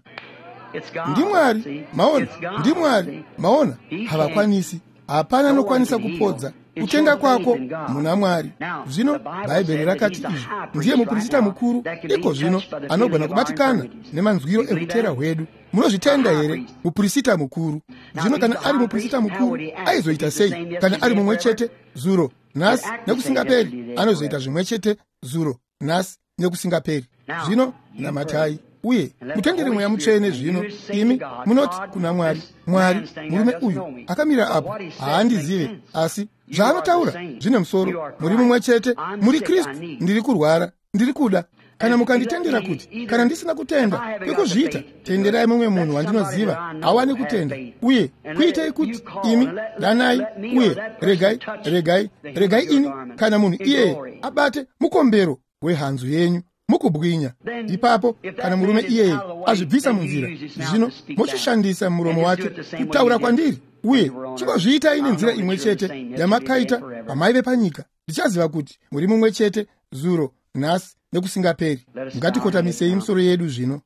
NdiMwari, maona, ndiMwari, maona, havakwanisi. Hapana anokwanisa kupodza. Kutenda kwako muna Mwari. Zvino Bhaibheri rakati izvi, ndiye muprista mukuru iko zvino anogona kubatikana nemanzwiro ekutera hwedu. Munozvitenda here? Muprista mukuru. Zvino kana ari muprista mukuru, aizoita sei? Kana ari mumwe chete zuro, nhasi nekusingaperi, anozoita zvimwe chete zuro, nhasi nekusingaperi. Zvino namatai uye mutendere Mweya Mutsvene. Zvino imi munoti kuna Mwari, Mwari, murume uyu akamira apo haandizive, asi zvaanotaura zvine musoro. Muri mumwe chete, muri Kristu. Ndiri kurwara, ndiri kuda. Kana mukanditendera kuti kana ndisina kutenda kwekuzviita, tenderai mumwe munhu wandinoziva awane kutenda, uye kuitei kuti imi danai, uye regai regai regai ini kana munhu iyeye abate mukombero wehanzu yenyu mukubwinya. Ipapo kana murume iyeye azvibvisa munzira, zvino mochishandisa muromo wake kutaura kwandiri, uye chingozviitai nenzira imwe chete yamakaita pamaive panyika. Ndichaziva kuti muri mumwe chete zuro, nhasi nekusingaperi. Ngatikotamisei misoro yedu zvino.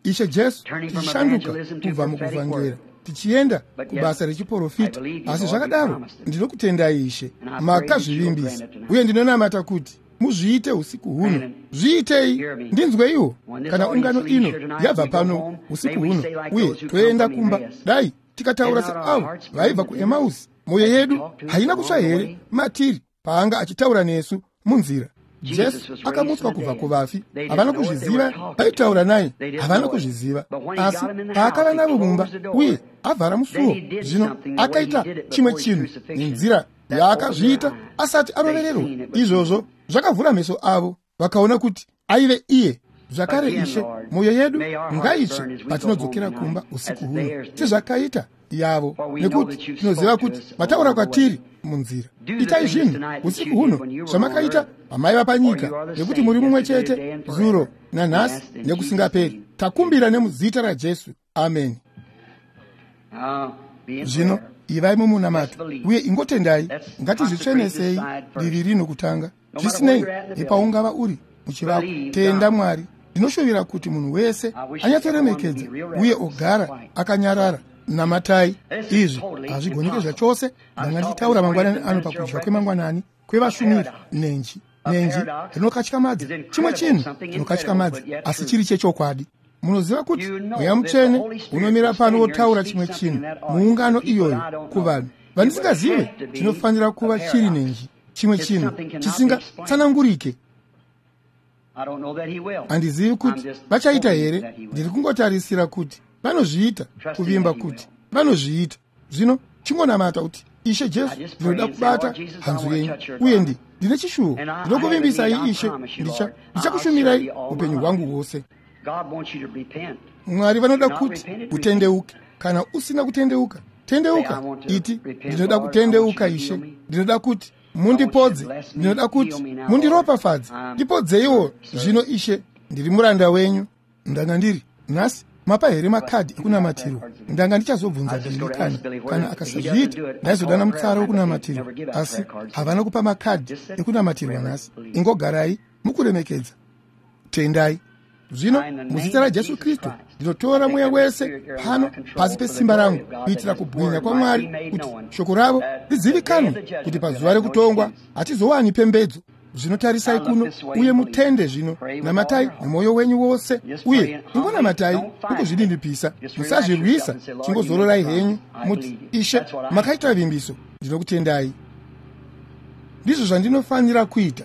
Ishe Jesu, tichishanduka kubva mukuvhangera tichienda kubasa rechiprofita, asi zvakadaro ndinokutendai Ishe, makazvivimbisa, uye ndinonamata kuti muzviite usiku huno. Zviitei, ndinzweiwo kana ungano ino yabva pano usiku huno uye toenda kumba, dai tikataura seavo vaibva kuEmausi. Mwoyo yedu haina kutsva here matiri paanga achitaura nesu munzira? Jesu akamutswa kubva kuvafi, havana kuzviziva. Vaitaura naye, havana kuzviziva. Asi paakava navo mumba uye avhara musuo, zvino akaita chimwe chinhu nenzira yaakazviita asati arovererwa. Izvozvo zvakavhura meso avo, vakaona kuti aive iye. Zvakare Ishe, mwoyo yedu ngaitsve patinodzokera kumba usiku huno, sezvakaita yavo, nekuti tinoziva kuti mataura kwatiri munzira. Itai zvinhu usiku huno zvamakaita pamaiva panyika, nekuti muri mumwe chete zuro nanhasi nekusingaperi. Takumbira nemuzita raJesu, ameni. Zvino ivai mumunamato uye ingotendai. Ngatizvitsvenesei divi rino kutanga. Zvisinei nepaungava uri muchivako, tenda Mwari. Ndinoshuvira kuti munhu wese anyatsoremekedza uye ogara akanyarara. Namatai. Izvi hazvigoneke zvachose. Ndanga ndichitaura mangwanani ano pakudya kwemangwanani kwevashumiri. Nenji nenji rinokatyamadza, chimwe chinhu chinokatyamadza, asi chiri chechokwadi. Munoziva kuti Mweya Mutsvene unomira pano wotaura chimwe chinhu muungano iyoyo kuvanhu vandisingazive, chinofanira kuva chiri nenji, chimwe chinhu chisingatsanangurike. Handizivi kuti vachaita here. Ndiri kungotarisira kuti vanozviita, kuvimba kuti vanozviita. Zvino chingonamata kuti, Ishe Jesu, ndinoda kubata hanzu yenyu, uye ndi ndine chishuwo, ndinokuvimbisai Ishe, ndicha ndichakushumirai upenyu hwangu hwose. Mwari vanoda kuti utendeuke. Kana usina kutendeuka, tendeuka. Iti, ndinoda kutendeuka Ishe, ndinoda kuti mundipodze, ndinoda kuti mundiropafadze, ndipodzeiwo zvino Ishe, ndiri muranda wenyu. Ndanga ndiri nhasi mapa here makadhi ekunamatirwa? Ndanga ndichazobvunza Bili kana kana akasazviita ndaizodana mutsara wekunamatirwa, asi havana kupa makadhi ekunamatirwa nhasi. Ingogarai mukuremekedza, tendai. Zvino muzita raJesu Kristu ndinotora mweya wese pano pasi pesimba rangu, kuitira kubwinya kwaMwari, kuti shoko ravo rizivikanwe, kuti pazuva rekutongwa hatizowani pembedzo. Zvino tarisai kuno uye mutende. Zvino namatai nemwoyo wenyu wose, uye ingonamatai mukuzvininipisa, musazvirwisa. Chingozororai henyu muti, Ishe, makaita vimbiso, ndinokutendai. Ndizvo zvandinofanira kuita.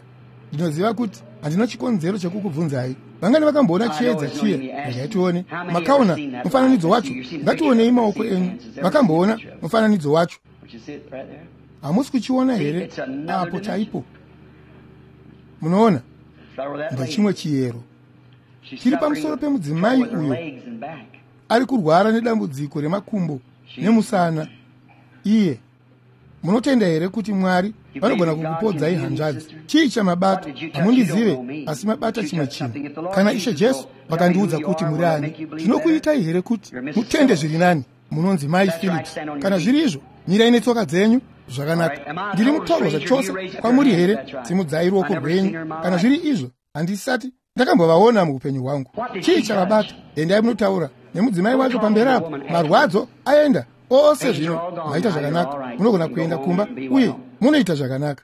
Ndinoziva kuti handina chikonzero chekukubvunzai. Vangani vakamboona chiedza chiye? Regai tione. Makaona mufananidzo wacho? Ngationei maoko enyu. Vakamboona mufananidzo wacho? Hamusi kuchiona here apo chaipo? Munoona, ndechimwe chiyero chiri pamusoro pemudzimai uyo ari kurwara nedambudziko remakumbo nemusana. Iye, munotenda here kuti Mwari vanogona kukupodzai hanzvadzi? Chii chamabata? Hamundizive, asi mabata chimwe chinhu. Kana Ishe Jesu vakandiudza kuti muri ani, zvinokuitai here kuti mutende zviri nani? Munonzi Mai Philips. Kana zviri izvo, mirai netsoka dzenyu. Zvakanaka. Ndiri mutorwa zvachose kwamuri here? Simudzai ruoko rwenyu. Kana zviri izvo, handisati ndakambovaona muupenyu hwangu. Chii chavabata? Endai munotaura nemudzimai wacho pamberi apo. Marwadzo aenda ose zvino. Maita zvakanaka, munogona kuenda kumba uye munoita zvakanaka.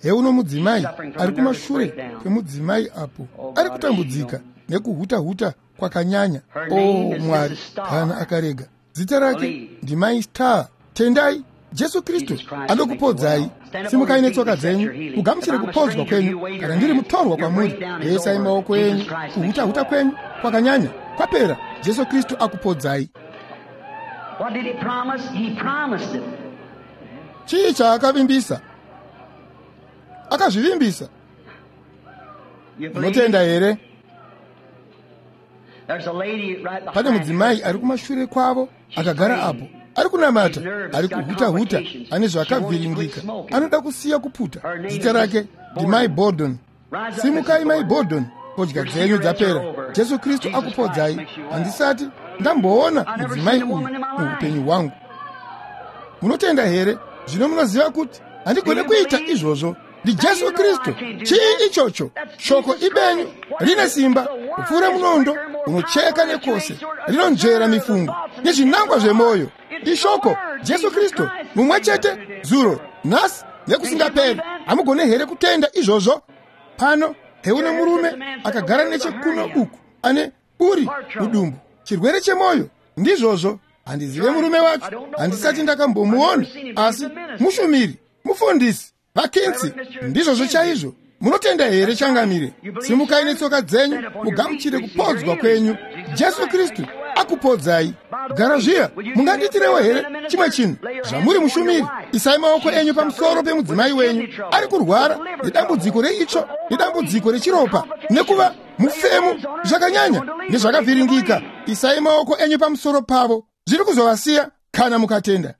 Heuno mudzimai ari kumashure kwemudzimai apo, ari kutambudzika nekuhuta-huta kwakanyanya. O Mwari, kana akarega. Zita rake ndimai Star. Tendai Jesu Kristu anokupodzai. Simukai netsoka dzenyu mugamuchire kupodzwa kwenyu. Kana ndiri mutorwa kwamuri, isai maoko enyu. Kuhuta-huta kwenyu kwakanyanya kwapera. Jesu Kristu akupodzai. Chii chaakavimbisa? Akazvivimbisa. Unotenda here? Pane mudzimai ari kumashure kwavo akagara apo, ari kunamata, ari kuhuta-huta, ane zvakavhiringika, anoda kusiya kuputa. Zita rake ndimai Bordon. Simukai mai Bordon, fodya dzenyu dzapera. Jesu Kristu akupodzai. Handisati ndamboona mudzimai uyu muupenyu hwangu. Munotenda here? Zvino munoziva kuti handigone kuita izvozvo. NdiJesu Kristu. Chii ichocho? Shoko ibenyu, rine simba kupfuura munondo unocheka nekose, rinonzvera mifungo nezvinangwa zvemwoyo. Ishoko Jesu Kristu mumwe chete zuro, nhasi nekusingaperi. Hamugone here kutenda izvozvo? Pano heune murume akagara nechekuno uku ane buri mudumbu, chirwere chemwoyo. Ndizvozvo. Handizive murume wacho, handisati ndakambomuona, asi mushumiri, mufundisi vaKinsi. Ndizvozvo chaizvo. Munotenda here changamire? Simukai netsoka dzenyu mugamuchire kupodzwa kwenyu. Jesu Kristu akupodzai. Gara zviya, mungandiitirewo here chimwe chinhu? Zvamuri mushumiri, isai maoko enyu pamusoro pemudzimai wenyu ari kurwara nedambudziko reitsvo, nedambudziko rechiropa, nekuva mufemu zvakanyanya nezvakavhiringika. Isai maoko enyu pamusoro pavo, zviri kuzovasiya kana mukatenda.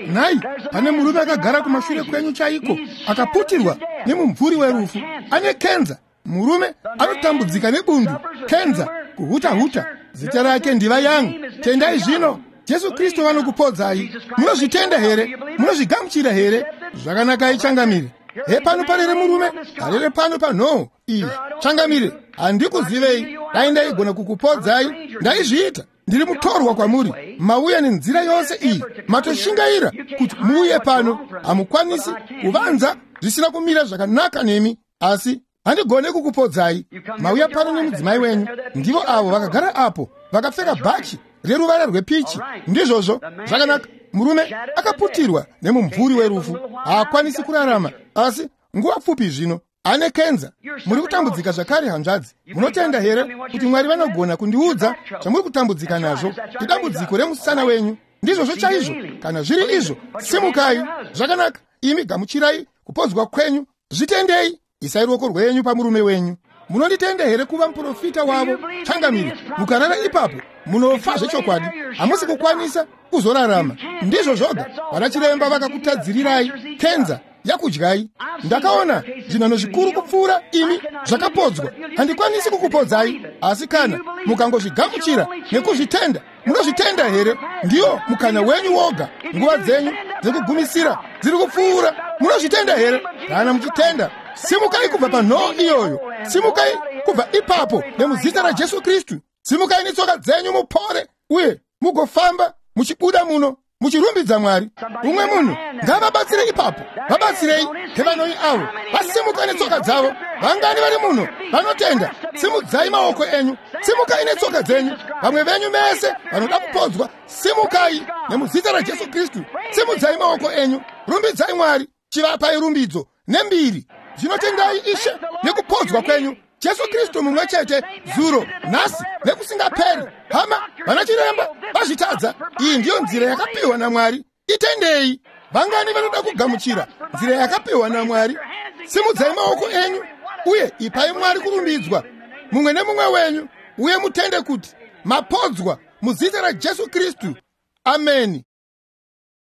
Nhai, pane murume akagara kumashure kwenyu chaiko, akaputirwa nemumvuri werufu, ane kenza. Murume anotambudzika nebundu, kenza, kuhuta-huta. Zita rake ndiva Yang. Tendai zvino. Jesu Kristu vanokupodzai. Munozvitenda here? Munozvigamuchira here? Zvakanakai changamire. Hepano parere murume arere pano panhoo iyi. Changamire, handikuzivei. Dai ndaigona kukupodzai, ndaizviita. Ndiri mutorwa kwamuri. Mauya nenzira yose iyi, matoshingaira kuti muuye pano. Hamukwanisi kuvanza zvisina kumira zvakanaka nemi, asi handigone kukupodzai. Mauya pano nemudzimai wenyu. Ndivo avo vakagara apo vakapfeka bhachi reruvara rwepichi. Ndizvozvo. Zvakanaka. Murume akaputirwa nemumvuri werufu, haakwanisi kurarama, asi nguva pfupi zvino ane kenza. Muri kutambudzika zvakare, hanzvadzi. Munotenda here kuti Mwari vanogona kundiudza zvamuri kutambudzika nazvo? Idambudziko remusana wenyu. Ndizvozvo chaizvo. Kana zviri izvo, simukai. Zvakanaka. Imi gamuchirai kupodzwa kwenyu. Zvitendei. Isai ruoko rwenyu pamurume wenyu. Munonditenda here kuva muprofita wavo? Changamire, mukarara ipapo munofa zvechokwadi. Hamusi kukwanisa kuzorarama. Ndizvo zvoga. Vana chiremba vakakutadzirirai kenza yakudyai. Ndakaona zvinhano zvikuru kupfuura imi zvakapodzwa. Handikwanisi kukupodzai, asi kana mukangozvigamuchira nekuzvitenda. Munozvitenda here? Ndiyo mukana wenyu woga. Nguva dzenyu dzekugumisira dziri kupfuura. Munozvitenda here? Kana muchitenda, simukai kubva panhoo iyoyo. Simukai kubva ipapo nemuzita raJesu Kristu. Simukai netsoka dzenyu mupore, uye mugofamba muchibuda muno muchirumbidza Mwari. Umwe munhu ngavabatsire ipapo. Vabatsirei ngevanoi avo vasimuka netsoka dzavo. Vangani vari muno vanotenda? Simudzai maoko enyu. Simukai netsoka dzenyu. Vamwe venyu mese vanoda kupodzwa, simukai nemuzita raJesu Kristu. Simudzai maoko enyu, rumbidzai Mwari, chivapai rumbidzo nembiri. Zvinotendai Ishe nekupodzwa kwenyu. Jesu Kristu mumwe chete zuro, nhasi nekusingaperi. Hama, vana chiremba vazvitadza. Iyi ndiyo nzira yakapiwa naMwari. Itendei. Vangani vanoda kugamuchira nzira yakapiwa naMwari? Simudzai maoko enyu uye ipai Mwari kurumbidzwa, mumwe nemumwe wenyu, uye mutende kuti mapodzwa muzita raJesu Kristu. Ameni.